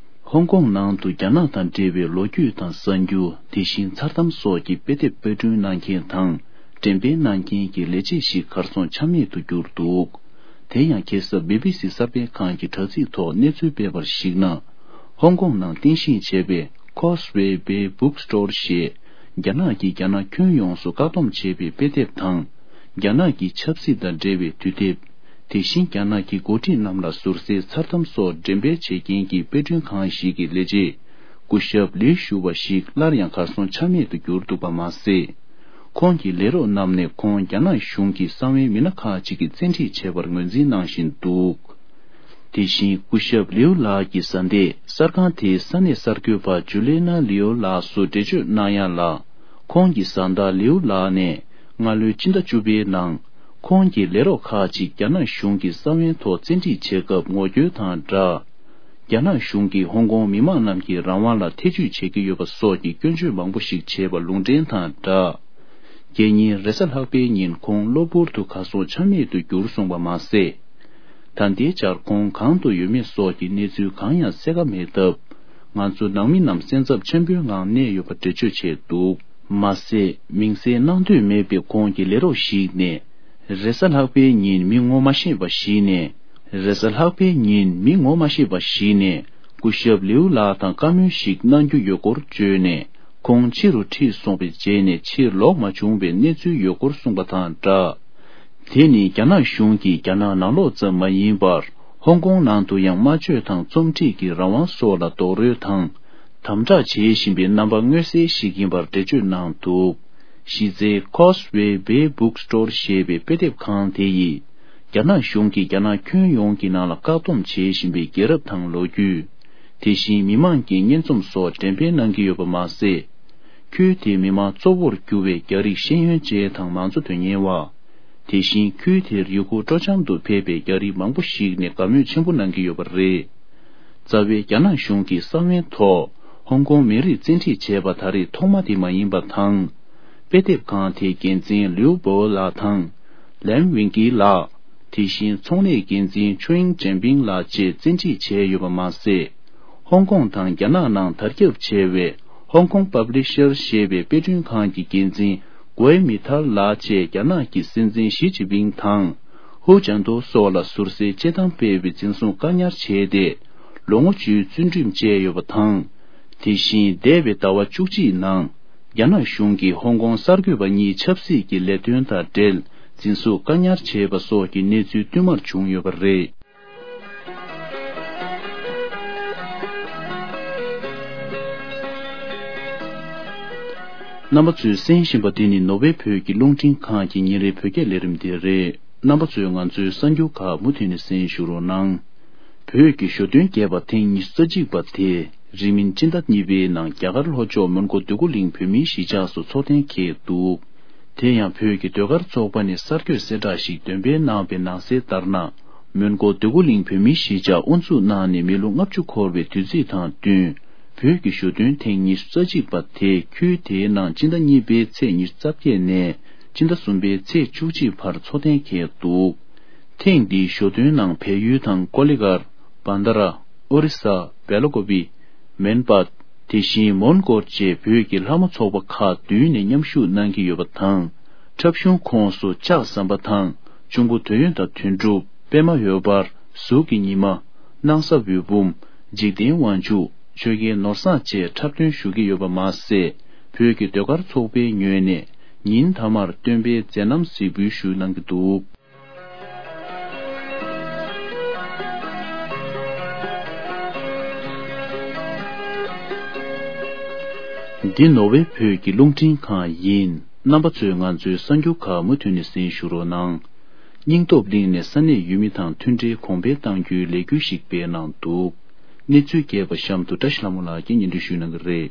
ཧོང་ཀོང་ནང་དུ་རྒྱ་ནག་དང་འབྲེལ་བའི་ལོ་རྒྱུས་དང་གསར་འགྱུར། དེ་བཞིན་མཚར་གཏམ་སོགས་ཀྱི་དཔེ་དེབ་དཔར་སྐྲུན་གནང་མཁན་དང་འགྲེམས་སྤེལ་གནང་མཁན་གྱི་ལས་བྱེད་ཞིག་གར་སོང་ཆ་མེད་དུ་གྱུར་འདུག། དེ་ཡང་ཁ་སང་བི་བི་སི་གསར་སྤེལ་ཁང་གི་དྲ་ཚིགས་ཐོག་གནས་ཚུལ་སྤེལ་བར་གཞིགས་ན། ཧོང་ཀོང་ནང་རྟེན་གཞི་བྱས་པའི་Causeway Bay Bookstore ཞེས་རྒྱ་ནག་གིས་རྒྱ་ནག་ཁྱོན་ཡོངས་སུ་བཀག་སྡོམ་བྱས་པའི་དཔེ་དེབ་དང་། རྒྱ་ནག་གི་ཆབ་སྲིད་དང་འབྲེལ་བའི་དུས་དེབ། དེ་བཞིན་རྒྱ་ནག་གི་འགོ་ཁྲིད་རྣམས་ལ་ཟུར་ཟའི་མཚར་གཏམ་སོགས་འགྲེམས་སྤེལ་བྱེད་མཁན་གྱི་དཔེ་སྐྲུན་ཁང་ཞིག་གི་ལས་བྱེད་སྐུ་ཞབས་ལིའུ་ཞུ་བ་ཞིག་སླར་ཡང་གར་སོང་ཆ་མེད་དུ་གྱུར་འདུག་པ་མ་ཟད། ཁོང་གི་ལས་རོགས་རྣམས་ནས་ཁོང་རྒྱ་ནག་གཞུང་གི་གསང་བའི་མི་སྣ་ཁག་ཅིག་གི་བཙན་ཁྲིད་བྱས་པར་ངོས་འཛིན་གནང་བཞིན་འདུག། དེ་བཞིན་སྐུ་ཞབས་ལིའུ་ལགས་ཀྱི་བཟའ་ཟླས་གསར་ཁང་དེའི་ས་གནས་གསར་འགོད་པ་ཇུ་ལི་ན་ལིའུ་ལགས་སུ་འགྲེལ་བརྗོད་གནང་ཡ་ལ། ཁོང་གི་བཟའ་ཟླ་ལིའུ་ལགས་ནས་སྔ་ལོའི་སྤྱི་ཟླ་བཅུ་པའི་ནང་། ཁོང་གི་ལས་རོགས་ཁག་ཅིག་རྒྱ་ནག་གཞུང་གི་གསང་བའི་ཐོག་བཙན་ཁྲིད་བྱེད་སྐབས་ངོ་རྒོལ་དང་སྦྲགས། རྒྱ་ནག་གཞུང་གིས་ཧོང་ཀོང་མི་མང་རྣམས་ཀྱི་རང་དབང་ལ་ཐེ་ཇུས་བྱེད་ཀྱི་ཡོད་པ་སོགས་ཀྱི་སྐྱོན་བརྗོད་མང་པོ་ཞིག་བྱས་པ་ལུང་འདྲེན་དང་སྦྲགས། རྒྱལ་ཉིན་རེས་གཟའ་ལྷག་པའི་ཉིན་ཁོང་གློ་བུར་དུ་གར་སོང་ཆ་མེད་དུ་གྱུར་སོང་བ་མ་ཟད། ད་ལྟའི་ཆར་ཁོང་གང་དུ་ཡོད་མེད་སོགས་ཀྱི་གནས་ཚུལ་གང་ཡང་གསལ་ཁ་མེད་སྟབས། ང་ཚོ་ནང་མི་རྣམས་སེམས་འཚབ་ཆེན་པོའི་ངང་གནས་ཡོད་པ་འགྲེལ་བརྗོད་བྱས་འདུག། མ་ཟད། མིང་གསལ་གནང་འདོད་མེད་པའི་ཁོང་གི་ལས་རོགས་ཤིག་ནས། རེས་གཟའ་ལྷག་པའི་ཉིན་མི་ངོ་མ་ཤེས་པ་ཞིག་ནས། རེས་གཟའ་ལྷག་པའི་ཉིན་མི་ངོ་མ་ཤེས་པ་ཞིག་ནས། སྐུ་ཞབས་ལིའུ་ལགས་དང་བཀའ་མོལ་ཞིག་གནང་རྒྱུ་ཡོད་སྐོར་བརྗོད་ནས། ཁོང་ཕྱི་རུ་ཁྲིད་སོང་བའི་རྗེས་ནས་ཕྱིར་ལོག་མ་བྱུང་བའི་གནས་ཚུལ་ཡོད་སྐོར་གསུངས་པ་དང་སྦྲགས། དེ་ནི་རྒྱ་ནག་གཞུང་གིས་རྒྱ་ནག་ནང་ལོགས་ཙམ་མ་ཡིན་པར། ཧོང་ཀོང་ནང་དུ་ཡང་སྨྲ་བརྗོད་དང་རྩོམ་སྒྲིག་གི་རང་དབང་སོགས་ལ་རྡོག་རོལ་དང་། དམ་དྲག་བྱེད་བཞིན་པའི་རྣམ་པ་མངོན་གསལ་ཞིག་ཡིན་པར་འགྲེལ་བརྗོད་གནང་འདུག། གཞི་རྩའི་Causeway Bay Bookstore ཞེས་པའི་དཔེ་དེབ་ཁང་དེ་ཡིས། རྒྱ་ནག་གཞུང་གིས་རྒྱ་ནག་ཁྱོན་ཡོངས་ཀྱི་ནང་ལ་བཀག་སྡོམ་བྱེད་བཞིན་པའི་རྒྱལ་རབས་དང་ལོ་རྒྱུས། དེ་བཞིན་མི་མང་གི་སྙན་རྩོམ་སོགས་འགྲེམས་སྤེལ་གནང་གི་ཡོད་པ་མ་ཟད། ཁུལ་དེའི་མི་མང་གཙོ་བོར་གྱུར་བའི་རྒྱ་རིགས་ཤེས་ཡོན་ཅན་དང་མང་གཙོ་དོན་གཉེར་བ། དེ་བཞིན་ཁུལ་དེར་ཡུལ་སྐོར་སྤྲོ་འཆམ་དུ་ཕེབས་པའི་རྒྱ་རིགས་མང་པོ་ཞིག་ནས་དགའ་མོས་ཆེན་པོ་གནང་གི་ཡོད་པ་རེད། རྩ་བའི་རྒྱ་ནག་གཞུང་གི་གསང་བའི་ཐོག་ཧོང་ཀོང་མི་རིགས་བཙན་ཁྲིད་བྱས་པ་ད་རེས་ཐོག་མ་དེ་མ་ཡིན་པ་དང་། དཔེ་དེབ་ཁང་དེའི་འགན་འཛིན་ལིའུ་པོ་ལགས་དང་། ལན་ཝིང་ཀི་ལགས། དེ་བཞིན་ཚོང་ལས་འགན་འཛིན་ཆུ་ཨིང་ཅན་ཕིང་ལགས་བཅས་བཙན་ཁྲིད་བྱས་ཡོད་པ་མ་ཟད། ཧོང་ཀོང་དང་རྒྱ་ནག་ནང་དར་ཁྱབ་ཆེ་བའི་Hong Kong Publisher ཞེས་པའི་དཔེ་སྐྲུན་ཁང་གི་འགན་འཛིན་གོའེ་མི་ཐར་ལགས་བཅས་རྒྱ་ནག་གི་སྲིད་འཛིན་ཞི་ཅིན་ཕིང་དང་ཧུའུ་ཅན་ཏོ་སོགས་ལ་ཟུར་ཟའི་དཔྱད་གཏམ་སྤེལ་བའི་འཛིན་བཟུང་བཀག་ཉར་བྱས་ཏེ། ལོ་ངོ་བཅུའི་བཙོན་ཁྲིམས་བཅད་ཡོད་པ་དང་། དེ་བཞིན་འདས་པའི་ཟླ་བ་བཅུ་གཅིག་ནང་། རྒྱ་ནག་གཞུང་གིས་ཧོང་ཀོང་གསར་འགོད་པ་གཉིས་ཆབ་སྲིད་ཀྱི་ལས་དོན་དང་འབྲེལ་འཛིན་བཟུང་བཀག་ཉར་བྱས་པ་སོགས་ཀྱི་གནས་ཚུལ་བསྟུད་མར་བྱུང་ཡོད་པ་རེད། རྣམ་པ་ཚོས་གསན་བཞིན་པ་འདི་ནི་ནོར་ཝེ་བོད་ཀྱི་རླུང་འཕྲིན་ཁང་གི་ཉིན་རེའི་བོད་སྐད་ལས་རིམ་དེ་རེད། རྣམ་པ་ཚོས་ང་ཚོའི་གསར་འགྱུར་ཁག་མུ་མཐུད་ནས་གསན་ཞུ་རོགས་གནང་། བོད་ཀྱི་ཞོ་སྟོན་རྒྱས་པ་ཐེངས་ཉི་ཤུ་རྩ་གཅིག་པ་དེ་རིང་མིན་སྤྱི་ཟླ་གཉིས་པའི་ནང་རྒྱ་གར་ལྷོ་ཕྱོགས་མོན་གྷོ་འདོད་རྒུ་གླིང་བོད་མིའི་གཞིས་ཆགས་སུ་འཚོགས་གཏན་འཁེལ་འདུག། དེ་ཡང་བོད་ཀྱི་ཟློས་གར་ཚོགས་པ་ནས་གསར་འགོད་གསལ་བསྒྲགས་ཤིག་འདོན་སྤེལ་གནང་བའི་ནང་གསལ་ལྟར་ན། མོན་གྷོ་འདོད་རྒུ་གླིང་བོད་མིའི་གཞིས་ཆགས་དབུ་འཛུགས་གནང་ནས་མི་ལོ་ལྔ་བཅུ་འཁོར་བའི་དུས་ཚིགས་དང་བསྟུན། བོད་ཀྱི་ཞོ་སྟོན་ཐེངས་ཉི་ཤུ་རྩ་གཅིག་པ་དེ་ཁུལ་དེའི་ནང་སྤྱི་ཟླ་གཉིས་པའི་ཚེས་ཉི་ཤུ་རྩ་བརྒྱད་ནས་སྤྱི་ཟླ་གསུམ་པའི་ཚེས་བཅུ་གཅིག་བར་འཚོགས་གཏན་འཁེལ་འདུག། ཐེངས་འདིའི་ཞོ་སྟོན་ནང་བལ་ཡུལ་དང་ཀོ་ལི་གྷལ། བན་དྷ་ར། ཨོ་རི་ས། བེ་ལ་ཀོ་བི། མན་པད། དེ་བཞིན་མོན་གྷོ་བཅས་བོད་ཀྱི་ལྷ་མོ་ཚོགས་པ་ཁག་བདུན་ནས་མཉམ་ཞུགས་གནང་གི་ཡོད་པ་དང་། འཁྲབ་གཞུང་ཁོངས་སུ་ལྕགས་ཟམ་པ་དང་། གཅུང་པོ་འདོད་ཡོན་དང་དོན་གྲུབ། པད་མ་འོད་འབར། གཟུགས་ཀྱི་ཉི་མ། སྣང་ས་འོད་འབུམ། འཇིག་རྟེན་དབང་ཕྱུག། ཆོས་རྒྱལ་ནོར་བཟང་བཅས་འཁྲབ་སྟོན་ཞུ་གི་ཡོད་པ་མ་ཟད། བོད་ཀྱི་ཟློས་གར་ཚོགས་པའི་ངོས་ནས་ཉིན་མཐའ་མར་སྟོན་པའི་མཛད་རྣམ་གཟིགས་འབུལ་ཞུ་གནང་གི་འདུག། འདི་ནོར་ཝེ་བོད་ཀྱི་རླུང་འཕྲིན་ཁང་ཡིན། རྣམ་པ་ཚོས་ང་ཚོའི་གསར་འགྱུར་ཁག་མུ་མཐུད་ནས་གསན་ཞུ་རོགས་གནང་། སྙིང་སྟོབས་གླིང་ནས་ས་གནས་ཡུལ་མི་དང་མཐུན་སྒྲིལ་གོང་འཕེལ་གཏང་རྒྱུའི་ལས་འགུལ་ཞིག་སྤེལ་གནང་འདུག། གནས་ཚུལ་རྒྱས་པ་གཤམ་དུ་བཀྲ་ཤིས་ལྷ་མོ་ལགས་ཀྱིས་སྙན་སྒྲོན་ཞུ་གནང་གི་རེད།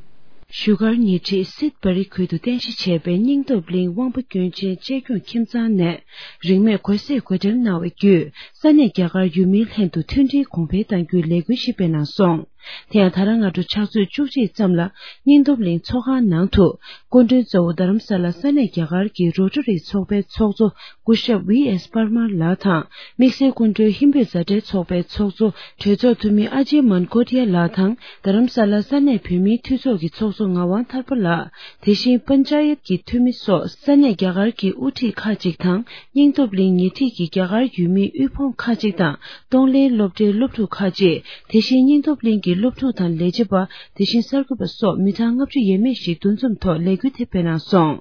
བཞུགས་སྒར་ཉེ་འཁྲིས་སིད་བྷ་རི་ཁུལ་དུ་རྟེན་གཞི་བྱས་པའི་སྙིང་སྟོབས་གླིང་དབང་པོ་སྐྱོན་ཅན་གཅེས་སྐྱོང་ཁྱིམ་ཚང་ནས་རིན་མེད་གོས་ཟས་བགོ་འགྲེམས་གནང་བའི་བརྒྱུད། ས་གནས་རྒྱ་གར་ཡུལ་མིའི་ལྷན་དུ་མཐུན་སྒྲིལ་གོང་འཕེལ་གཏང་རྒྱུའི་ལས་འགུལ་ཞིག་སྤེལ་གནང་སོང་། དེ་ཡང་ད་རང་སྔ་དྲོ་ཕྱག་ཚོད་བཅུ་གཅིག་ཙམ་ལ་སྙིང་སྟོབས་གླིང་ཚོགས་ཁང་ནང་དུ། སྐུ་མགྲོན་གཙོ་བོ་རྡ་རམ་ས་ལ་ས་གནས་རྒྱ་གར་གྱི་རོ་ཊ་རི་ཚོགས་པའི་ཚོགས་གཙོ་སྐུ་ཞབས་ཝི་ཨེས་པར་མར་ལགས་དང་། དམིགས་བསལ་སྐུ་མགྲོན་ཧིན་བོད་མཛའ་འབྲེལ་ཚོགས་པའི་ཚོགས་གཙོ་གྲོས་ཚོགས་འཐུས་མི་ཨ་ཇེ་མན་ཀོ་ཏི་ཡ་ལགས་དང་། རྡ་རམ་ས་ལ་ས་གནས་བོད་མིའི་འཐུས་ཚོགས་ཀྱི་ཚོགས་གཙོ་ངག་དབང་ཐར་པ་ལགས། དེ་བཞིན་པན་ཅ་ཡད་ཀྱི་འཐུས་མི་སོགས་ས་གནས་རྒྱ་གར་གྱི་དབུ་ཁྲིད་ཁག་ཅིག་དང་། སྙིང་སྟོབས་གླིང་ཉེ་འཁྲིས་ཀྱི་རྒྱ་གར་ཡུལ་མིའི་དབུལ་ཕོངས་ཁག་ཅིག་དང་། གཏོང་ལེན་སློབ་གྲྭའི་སློབ་ཕྲུག་ཁག་ཅིག། དེ་བཞིན་སྙིང་སྟོབས་གླིང་གི་སློབ་ཕྲུག་དང་ལས་བྱེད་པ། དེ་བཞིན་གསར་འགོད་པ་སོགས་མི་གྲངས་ལྔ་བཅུ་ཡས་མས་ཤིག་འདུ་འཛོམས་ཐོག་ལས་འགུལ་དེ་སྤེལ་གནང་སོང་།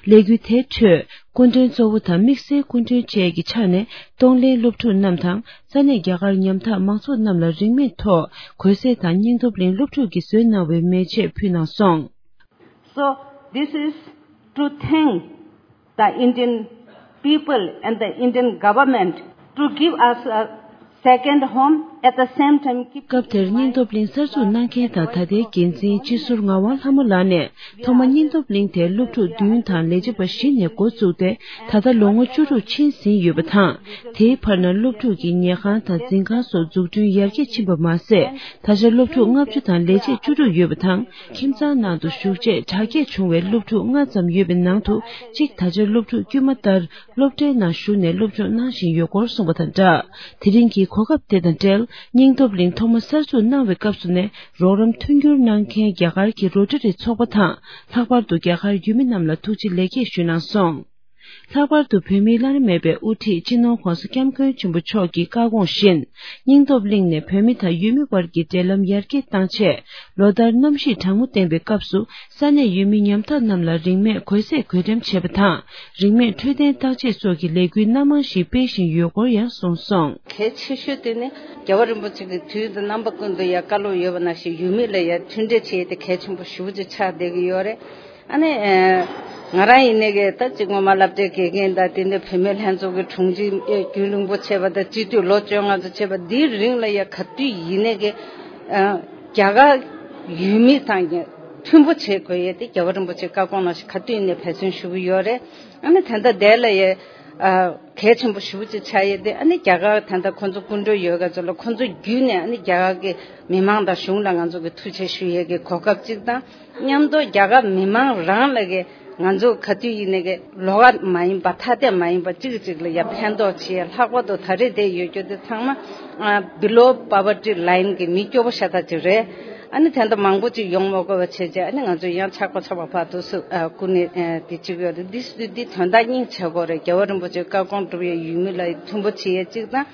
ལས་འགུལ་དེའི་ཁྲོད། སྐུ་མགྲོན་གཙོ་བོ་དང་དམིགས་བསལ་སྐུ་མགྲོན་བཅས་ཀྱི་ཕྱག་ནས། གཏོང་ལེན་སློབ་ཕྲུག་རྣམས་དང་། ས་གནས་རྒྱ་གར་ཉམ་ཐག་མང་ཚོགས་རྣམས་ལ་རིན་མེད་ཐོག་གོས་ཟས་དང་། སྙིང་སྟོབས་གླིང་སློབ་ཕྲུག་གིས་བཟོས་གནང་བའི་མེ་ལྕེ་ཕུལ་གནང་སོང་། So, this is to thank the Indian people and the Indian government to give us a second home, at the same time keep. སྐབས་དེར་སྙིང་སྟོབས་གླིང་གསར་འཛུགས་གནང་མཁན་དང་ད་ལྟའི་འགན་འཛིན་སྤྱི་ཟུར་ངག་དབང་ལྷ་མོ་ལགས་ནས། ཐོག་མ་སྙིང་སྟོབས་གླིང་དེ་སློབ་ཕྲུག་བདུན་དང་ལས་བྱེད་པ་བཞི་ནས་འགོ་བཙུགས་ཏེ། ད་ལྟ་ལོ་ངོ་བཅུ་དྲུག་ཕྱིན་ཟིན་ཡོད་པ་དང་། དེའི་བར་ན་སློབ་ཕྲུག་གི་ཉལ་ཁང་དང་འཛིན་ཁང་སོགས་འཛུགས་སྐྲུན་ཡར་རྒྱས་ཕྱིན་པ་མ་ཟད། ད་ཆ་སློབ་ཕྲུག་ལྔ་བཅུ་དང་ལས་བྱེད་བཅུ་དྲུག་ཡོད་པ་དང་། ཁྱིམ་ཚང་ནང་དུ་ཞུགས་རྗེས་དྲག་སྐྱེད་བྱུང་བའི་སློབ་ཕྲུག་ལྔ་ཙམ་ཡོད་པའི་ནང་དུ། གཅིག་ད་ཆ་སློབ་ཕྲུག་དཀྱུས་མ་ལྟར་སློབ་གྲྭའི་ནང་ཞུགས་ནས་སློབ་སྦྱོང་གནང་བཞིན་ཡོད་སྐོར་གསུངས་པ་དང་སྦྲགས། དེ་རིང་གི་གོ་སྐབས་དེ་དང་འབྲེལ། སྙིང་སྟོབས་གླིང་ཐོག་མ་གསར་འཛུགས་གནང་བའི་སྐབས་སུ་ནས་རོགས་རམ་མཐུན་འགྱུར་གནང་མཁན་རྒྱ་གར་གྱི་རོ་ཊ་རི་ཚོགས་པ་དང་། ལྷག་པར་དུ་རྒྱ་གར་ཡུལ་མི་རྣམས་ལ་ཐུགས་རྗེ་ལེགས་སྐྱེས་ཞུས་གནང་སོང་། ལྷག་པར་དུ་བོད་མིའི་བླ་ན་མེད་པའི་དབུ་ཁྲིད་སྤྱི་ནོར་༧གོང་ས་༧སྐྱབས་མགོན་ཆེན་པོ་མཆོག་གི་བཀའ་དགོངས་བཞིན། སྙིང་སྟོབས་གླིང་ནས་བོད་མི་དང་ཡུལ་མི་དབར་གྱི་འབྲེལ་ལམ་ཡར་རྒྱས་བཏང་ཆེད། ལོ་ལྟར་གནམ་གཤིས་གྲང་མོ་ལྡན་པའི་སྐབས་སུ། ས་གནས་ཡུལ་མི་ཉམ་ཐག་རྣམས་ལ་རིན་མེད་གོས་ཟས་བགོ་འགྲེམས་བྱེད་པ་དང་། རིན་མེད་འཕྲོད་བསྟེན་བརྟག་དཔྱད་སོགས་ཀྱི་ལས་འགུལ་སྣ་མང་ཞིག་སྤེལ་བཞིན་ཡོད་སྐོར་ཡང་གསུངས་སོང་། གལ་ཆེ་ཤོས་དེ་ནི་རྒྱལ་བ་རིན་པོ་ཆེ་གི་དུས་དང་རྣམ་པ་ཀུན་ཏུ་ཡང་བཀའ་སློབ་ཡོད་པ་ནང་བཞིན་ཡུལ་མི་ལ་ཡང་མཐུན་སྒྲིལ་བྱེད་ཡས་དེ་གལ་ཆེན་པོ་ཞེ་པོ་ཅིག་ཆགས་བསྡད་ཀྱི་ཡོད་རེད། ཨ་ནི། ང་རང་ཡིན་ནའི་གི་ད་ཅིག་སྔོན་མ་སློབ་གྲྭའི་དགེ་རྒན་དང་དེ་འདྲ་བུད་མེད་ལྷན་ཚོགས་ཀྱི་དྲུང་ཆེ་རྒྱུན་རིང་པོ་བྱས་པ་དང་སྤྱི་འཐུས་ལོ་བཅོ་ལྔ་ཙམ་བྱས་པ་འདིའི་རིང་ལ་ཡ་ག་དུས་ཡིན་ནའི་གི་རྒྱ་གར་ཡུལ་མི་དང་མཐུན་པོ་བྱེད་དགོས་ཡས་དེ་རྒྱལ་བ་རིན་པོ་ཆེའི་བཀའ་དགོངས་ནང་བཞིན་ག་དུས་ཡིན་ནའི་འབད་བརྩོན་ཞུ་གི་ཡོད་རེད། ཨ་ནི་དེ་འདྲ་དེ་ལ་ཡ་གལ་ཆེན་པོ་ཞེ་པོ་ཅིག་ཆགས་ཡས་དེ། ཨ་ནི་རྒྱ་གར་དེ་འདྲ་ཁོང་ཚོ་སྐུ་མགྲོན་ཡོད་ག་ཚོ་ལ་ཁོང་ཚོ་བརྒྱུད་ནས་ཨ་ནི་རྒྱ་གར་གྱི་མི་མང་དང་གཞུང་ལ་ང་ཚོ་གི་ཐུགས་རྗེ་ཆེ་ཞུ་ཡས་ཀྱི་གོ་སྐབས་གཅིག་དང་། མཉམ་དུ་རྒྱ་གར་མི་མང་རང་ལ་གི་ང་ཚོ་ག་དུས་ཡིན་ནའི་གི་ལོགས་ཀ་མ་ཡིན་པ་ཐ་དད་མ་ཡིན་པ་གཅིག་གཅིག་ལ་ཡ་ཕན་ཐོགས་བྱེད་ཡ། ལྷག་པར་དུ་ད་རེས་དེ་ཡོད་རྒྱུ་དེ་ཚང་མ་below poverty line གི་མི་སྐྱོ་པོ་ཤ་སྟག་ཅིག་རེད། ཨ་ནི་དེ་འདྲ་མང་པོ་ཅིག་ཡོང་མ་དགོས་པ་བྱས་རྗེས་ཨ་ནི་ང་ཚོ་ཡང་ཆག་པ་ཆག་པ་བར་དུ་སུ་ཨ་ཀུན་ནས་ཨ་དེ་གཅིག་ཡོད་རེད། འདི་འདི་དོན་དག་སྙིང་རྗེ་པོ་རེད། རྒྱལ་བ་རིན་པོ་ཆེའི་བཀའ་དགོངས་སྒྲུབ་ཡ་ཡུལ་མི་ལ་མཐུན་པོ་བྱེད་ཡ་གཅིག་དང་།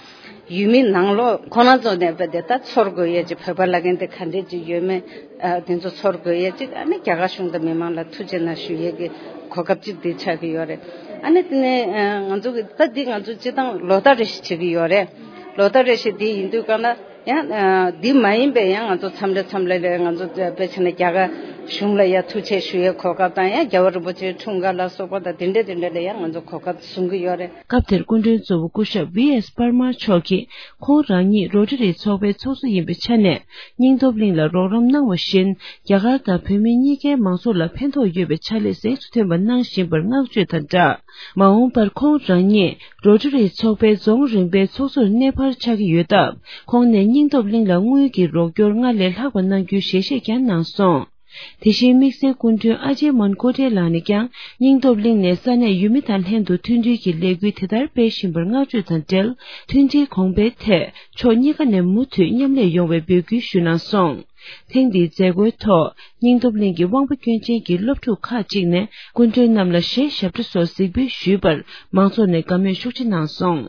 ཡུལ་མི་ནང་ལོགས་ཁོ་རང་ཚོ་ནས་བས་དེ་ད་ཚོར་དགོས་ཡས་ཅིག་བོད་པ་ལབ་མཁན་དེ་ག་འདྲས་ཅིག་ཡོད་མེད། ཨ་དེ་ཚོ་ཚོར་དགོས་ཡས་ཅིག་ཨ་ནི་རྒྱ་གར་གཞུང་དང་མི་མང་ལ་ཐུགས་རྗེ་གནང་ཞུ་ཡས་ཀྱི་གོ་སྐབས་ཅིག་དེ་ཆགས་ཀྱི་ཡོད་རེད། ཨ་ནི་དེ་ནས་ཨ་ང་ཚོ་གི་ད་འདི་ང་ཚོ་སྤྱི་བཏང་ལོ་ལྟར་རེ་བཞིན་བྱེད་ཀྱི་ཡོད་རེད། ལོ་ལྟར་རེ་བཞིན་དེ་ཡིན་དུས་གང་ལ་ཡང་ཨ་འདི་མ་ཡིན་པའི་ཡང་ང་ཚོ་མཚམས་རེ་མཚམས་རེ་ལ་ང་ཚོ་དཔེ་བྱས་ན་རྒྱ་གར་གཞུང་ལ་ཡང་ཐུགས་རྗེ་ཆེ་ཞུ་ཡས་གོ་སྐབས་དང་ཡང་རྒྱལ་བ་རིན་པོ་ཆེའི་འཁྲུངས་སྐར་ལ་སོགས་པ་དང་དེ་འདྲས་དེ་འདྲས་ལ་ཡང་ང་ཚོ་གོ་སྐབས་བཟུང་གི་ཡོད་རེད། སྐབས་དེར་སྐུ་མགྲོན་གཙོ་བོ་སྐུ་ཞབས་ཝི་ཨེས་པར་མར་མཆོག་གིས་ཁོང་རང་ཉིད་རོ་ཊ་རི་ཚོགས་པའི་ཚོགས་གཙོ་ཡིན་པའི་ཆ་ནས་སྙིང་སྟོབས་གླིང་ལ་རོགས་རམ་གནང་བ་བཞིན། རྒྱ་གར་དང་བོད་མི་གཉིས་ཀའི་མང་ཚོགས་ལ་ཕན་ཐོགས་ཡོད་པའི་ཕྱག་ལས་གཟེངས་སུ་ཐོན་པ་གནང་བཞིན་པར་བསྔགས་བརྗོད་དང་སྦྲགས། མ་འོངས་པར་ཁོང་རང་ཉིད་རོ་ཊ་རི་ཚོགས་པའི་རྫོང་རིམ་པའི་ཚོགས་གཙོར་གནས་འཕར་ཆགས་ཀྱི་ཡོད་སྟབས། ཁོང་ནས་སྙིང་སྟོབས་གླིང་ལ་དངུལ་གྱི་རོགས་སྐྱོར་སྔར་ལས་ལྷག་པ་གནང་རྒྱུའི་ཞལ་བཞེས་ཀྱང་གནང་སོང་། དེ་བཞིན་དམིགས་བསལ་སྐུ་མགྲོན་ཨ་ཇེ་མོན་ཀོ་ཏེ་ལགས་ནས་ཀྱང་སྙིང་སྟོབས་གླིང་ནས་ས་གནས་ཡུལ་མི་དང་ལྷན་དུ་མཐུན་སྒྲིལ་གྱི་ལས་འགུལ་དེ་ལྟར་སྤེལ་བཞིན་པར་བསྔགས་བརྗོད་དང་འབྲེལ། མཐུན་སྒྲིལ་གོང་འཕེལ་ཐད་ཕྱོགས་གཉིས་ཀ་ནས་མུ་མཐུད་མཉམ་ལས་ཡོང་བའི་འབོད་སྐུལ་ཞུས་གནང་སོང་། ཐེངས་འདིའི་མཛད་སྒོའི་ཐོག་སྙིང་སྟོབས་གླིང་གི་དབང་པོ་སྐྱོན་ཅན་གྱི་སློབ་ཕྲུག་ཁག་ཅིག་ནས་སྐུ་མགྲོན་རྣམས་ལ་གཞས་ཞབས་བྲོ་སོགས་གཟིགས་འབུལ་ཞུས་པར་མང་ཚོགས་ནས་དགའ་མོས་ཤུགས་ཆེ་གནང་སོང་།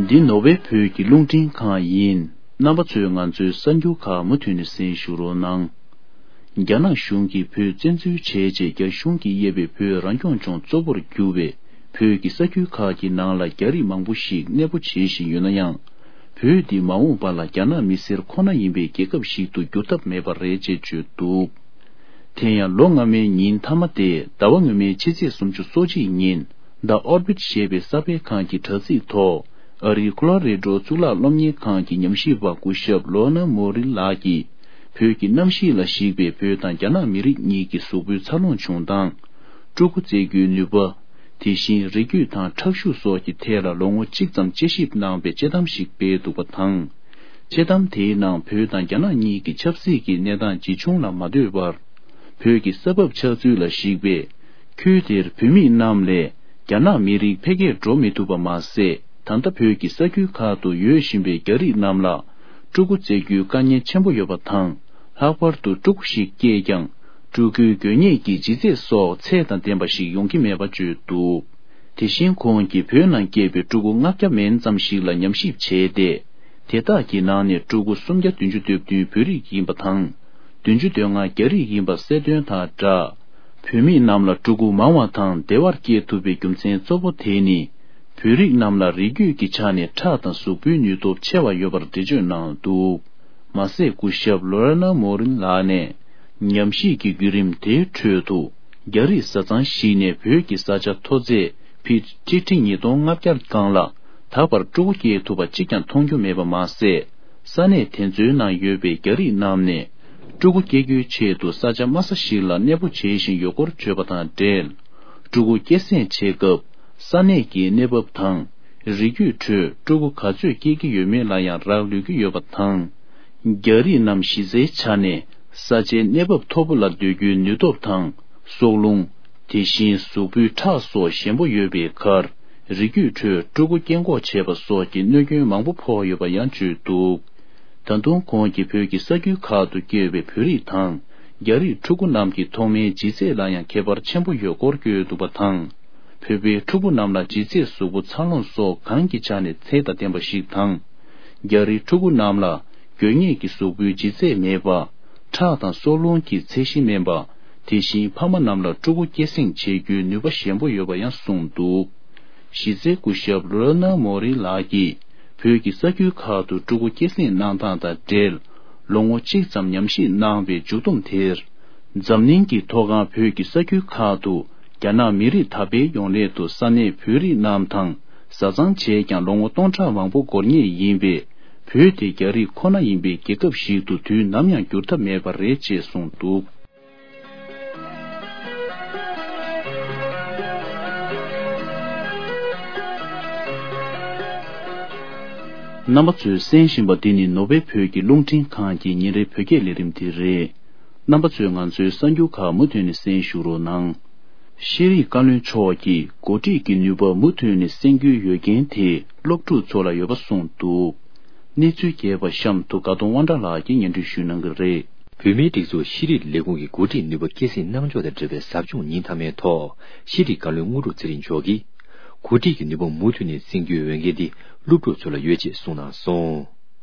འདི་ནོར་ཝེ་བོད་ཀྱི་རླུང་འཕྲིན་ཁང་ཡིན། རྣམ་པ་ཚོས་ང་ཚོའི་གསར་འགྱུར་ཁག་མུ་མཐུད་ནས་གསན་ཞུ་རོགས་གནང་། རྒྱ་ནག་གཞུང་གིས་བོད་བཙན་འཛུལ་བྱས་རྗེས། རྒྱ་གཞུང་གིས་དབྱེ་བའི་བོད་རང་སྐྱོང་ལྗོངས་གཙོ་བོར་གྱུར་བའི་བོད་ཀྱི་ས་ཁུལ་ཁག་གི་ནང་ལ་རྒྱ་རིགས་མང་པོ་ཞིག་གནས་སྤོ་བྱེད་བཞིན་ཡོད་ན་ཡང་། བོད་འདི་མ་འོངས་པ་ལ་རྒྱ་ནག་མི་སེར་ཁོ་ན་ཡིན་པའི་རྒྱལ་ཁབ་ཞིག་ཏུ་འགྱུར་ཐབས་མེད་པ་རེད་ཅེས་བརྗོད་འདུག་དེ་ཡང་ལོ་སྔ་མའི་ཉིན་མཐའ་མ་སྟེ་ཟླ་བ་སྔོན་མའི་ཕྱི་ཚེས་སུམ་ཅུ་སོ་གཅིག་ཉིན། The Orbit ཞེས་པའི་གསར་སྤེལ་ཁང་གི་དྲ་ཚིགས་ཐོག་ཨ་རིའི་ཁོ་ལོ་རེ་ཌོ་གཙུག་ལག་སློབ་གཉེར་ཁང་གི་ཉམས་ཞིབ་པ་སྐུ་ཞབས་ལོ་ན་མོ་རིན་ལགས་ཀྱིས། བོད་ཀྱི་གནམ་གཤིས་ལ་གཞིགས་པའི་བོད་དང་རྒྱ་ནག་མི་རིགས་གཉིས་ཀྱི་གཟུགས་པོའི་འཚར་ལོངས་བྱུང་སྟངས། ཕྲུ་གུ་བཙའ་རྒྱུའི་ནུས་པ། དེ་བཞིན་རིགས་རྒྱུད་དང་ཁྲག་ཤུགས་སོགས་ཀྱི་ཐད་ལ་ལོ་ངོ་གཅིག་ཙམ་དཔྱད་ཞིབ་གནང་བའི་དཔྱད་གཏམ་ཞིག་སྤེལ་འདུག་པ་དང་། དཔྱད་གཏམ་དེའི་ནང་བོད་དང་རྒྱ་ནག་གཉིས་ཀྱི་ཆབ་སྲིད་ཀྱི་གནས་སྟངས་ཇི་བྱུང་ལ་མ་ལྟོས་པར། བོད་ཀྱི་ས་བབ་ཆགས་ཚུལ་ལ་གཞིགས་པའི། ཁུལ་དེར་བོད་མི་རྣམས་ལས་རྒྱ་ནག་མི་རིགས་འཕེལ་རྒྱས་འགྲོ་མི་ཐུབ་པ་མ་ཟད། ད་ལྟ་བོད་ཀྱི་ས་ཁུལ་ཁག་ཏུ་ཡོད་བཞིན་པའི་རྒྱ་རིགས་རྣམས་ལ་ཕྲུ་གུ་བཙའ་རྒྱུའི་དཀའ་ངལ་ཆེན་པོ་ཡོད་པ་དང་། ལྷག་པར་དུ་ཕྲུ་གུ་ཞིག་སྐྱེས་ཀྱང་ཕྲུ་གུའི་འགོས་ནད་ཀྱི་ལྗིད་ཚད་སོགས་ཚད་དང་ལྡན་པ་ཞིག་ཡོང་གི་མེད་པ་བརྗོད་འདུག་དེ་བཞིན་ཁོང་གིས་བོད་ནང་སྐྱེས་པའི་ཕྲུ་གུ་ལྔ་བརྒྱ་མན་ཙམ་ཞིག་ལ་ཉམས་ཞིབ་བྱས་ཏེ། དེ་དག་གི་ནང་ནས་ཕྲུ་གུ་སུམ་བརྒྱ་བདུན་ཅུ་དོན་བདུན་བོད་རིགས་ཡིན་པ་དང་། བདུན་ཅུ་དོན་ལྔ་རྒྱ་རིགས་ཡིན་པ་གསལ་སྟོན་དང་སྦྲགས། བོད་མི་རྣམས་ལ་ཕྲུ་གུ་མང་བ་དང་བདེ་བར་སྐྱེ་ཐུབ་པའི་རྒྱུ་མཚན་གཙོ་བོ་དེ་ནི། བོད་རིགས་རྣམས་ལ་རིགས་རྒྱུད་ཀྱི་ཆ་ནས་ཁྲག་དང་གཟུགས་པོའི་ནུས་སྟོབས་ཆེ་བ་ཡོད་པར་འགྲེལ་བརྗོད་གནང་འདུག་མ་ཟད་སྐུ་ཞབས་ལོ་ར་ན་མོ་རིན་ལགས་ནས། ཉམས་ཞིབ་ཀྱི་བརྒྱུད་རིམ་དེའི་ཁྲོད་དུ། རྒྱ་རིགས་བཟའ་ཚང་ཞིག་ནས་བོད་ཀྱི་ས་ཆ་མཐོ་ཚད་ཕི་ཊི་ཊི་ཉིས་སྟོང་ལྔ་བརྒྱ་སྒང་ལ། ད་བར་ཕྲུ་གུ་སྐྱེས་ཐུབ་པ་གཅིག་ཀྱང་མཐོང་རྒྱུ་མེད་པ་མ་ཟད། ས་གནས་དེ་ཚོའི་ནང་ཡོད་པའི་རྒྱ་རིགས་རྣམས་ནས། ཕྲུ་གུ་སྐྱེ་རྒྱུའི་ཆེད་དུ་ས་ཆ་དམའ་ས་ཞིག་ལ་གནས་སྤོ་བྱེད་བཞིན་ཡོད་སྐོར་བརྗོད་པ་དང་འབྲེལ། ཕྲུ་གུ་སྐྱེད་སྲིང་བྱེད་སྐབས། ས་གནས་ཀྱི་གནས་བབ་དང་། རིགས་རྒྱུད་ཁྲོད་ཕྲུ་གུ་ག་ཚོད་སྐྱེ་གི་ཡོད་མེད་ལ་ཡང་རག་ལུས་ཀྱི་ཡོད་པ་དང་། རྒྱ་རིགས་རྣམས་གཞི་རྩའི་ཆ་ནས་ས་ཆའི་གནས་བབ་མཐོ་པོ་ལ་སྡོད་རྒྱུའི་ནུས་སྟོབས་དང་། སྲོག་རླུང་། དེ་བཞིན་གཟུགས་པོའི་ཁྲག་སོགས་ཞན་པོ་ཡོད་པའི་ཁར། རིགས་རྒྱུད་ཁྲོད་ཕྲུ་གུ་སྐྱེ་འགོག་བྱས་པ་སོགས་ཀྱི་གནོད་སྐྱོན་མང་པོ་ཕོག་ཡོད་པ་ཡང་བརྗོད་འདུག་ད་དུང་ཁོང་གིས་བོད་ཀྱི་ས་ཁུལ་ཁག་ཏུ་སྐྱེས་པའི་བོད་རིགས་དང་། རྒྱ་རིགས་ཕྲུ་གུ་རྣམས་ཀྱི་ཐོག་མའི་ལྗིད་ཚད་ལ་ཡང་ཁྱད་པར་ཆེན་པོ་ཡོད་སྐོར་བཀོད་འདུག་པ་དང་། བོད་པའི་ཕྲུ་གུ་རྣམས་ལ་ལྗིད་ཚད་གཟུགས་པོ་འཚར་ལོངས་སོགས་གང་གི་ཆ་ནས་ཚད་དང་ལྡན་པ་ཞིག་དང་། རྒྱ་རིགས་ཕྲུ་གུ་རྣམས་ལ་དགོས་ངེས་ཀྱི་གཟུགས་པོའི་ལྗིད་ཚད་མེད་པ། ཁྲག་དང་སྲོག་རླུང་གི་ཚད་གཞི་དམན་པ། དེ་བཞིན་ཕ་མ་རྣམས་ལ་ཕྲུ་གུ་སྐྱེད་སྲིང་བྱེད་རྒྱུའི་ནུས་པ་ཞན་པོ་ཡོད་པ་ཡང་གསུངས་འདུག་གཞི་རྩའི་སྐུ་ཞབས་ལོ་ན་མོ་རི་ལགས་ཀྱིས་བོད་ཀྱི་ས་ཁུལ་ཁག་ཏུ་ཕྲུ་གུ་སྐྱེད་སྲིང་གནང་སྟངས་དང་འབྲེལ། ལོ་ངོ་གཅིག་ཙམ་ཉམས་ཞིབ་གནང་བའི་མཇུག་བསྡོམས་དེར། འཛམ་གླིང་གི་མཐོ་སྒང་བོད་ཀྱི་ས་ཁུལ་ཁག་ཏུ་རྒྱ་ནག་མི་རིགས་དར་སྤེལ་ཡོང་སླད་དུ་ས་གནས་བོད་རིགས་རྣམས་དང་བཟའ་ཚང་བྱས་ཀྱང་ལོ་ངོ་སྟོང་ཕྲག་མང་པོ་འགོར་ངེས་ཡིན་པས། བོད་དེ་རྒྱ་རིགས་ཁོ་ན་ཡིན་པའི་རྒྱལ་ཁབ་ཞིག་ཏུ་དུས་ནམ་ཡང་འགྱུར་ཐབས་མེད་པ་རེད་ཅེས་གསུངས་འདུག་རྣམ་པ་ཚོས་གསན་བཞིན་པ་འདི་ནི་ནོར་ཝེ་བོད་ཀྱི་རླུང་འཕྲིན་ཁང་གི་ཉིན་རེའི་བོད་སྐད་ལས་རིམ་དེ་རེད། རྣམ་པ་ཚོས་ང་ཚོའི་གསར་འགྱུར་ཁག་མུ་མཐུད་ནས་གསན་ཞུ་རོགས་གནང་། ཤེས་རིག་བཀའ་བློན་མཆོག་གིས་འགོ་ཁྲིད་ཀྱི་ནུས་པ་མུ་མཐུད་ནས་གསན་རྒྱུའི་ཡོད་རྐྱེན་དེ་སློབ་ཕྲུག་ཚོ་ལ་ཡོད་པ་གསུངས་འདུག་གནས་ཚུལ་རྒྱས་པ་གཤམ་དུ་དགའ་གདོང་དབང་གྲགས་ལགས་ཀྱིས་སྙན་སྒྲོན་ཞུ་གནང་གི་རེད། བོད་མིའི་སྒྲིག་འཛུགས་ཤེས་རིག་ལས་ཁུངས་ཀྱི་འགོ་ཁྲིད་ནུས་པ་སྐྱེད་སྲིང་གནང་ཕྱོགས་དང་འབྲེལ་བའི་ཟབ་སྦྱོང་ཉིན་མཐའ་མའི་ཐོག་ཤེས་རིག་བཀའ་བློན་དངོས་གྲུབ་ཚེ་རིང་མཆོག་གིས། འགོ་ཁྲིད་ཀྱི་ནུས་པ་མུ་མཐུད་ནས་གསན་རྒྱུའི་འོས་འགན་དེ་སློབ་ཕྲུག་ཚོ་ལ་ཡོད་ཅེས་གསུངས་གནང་སོང་།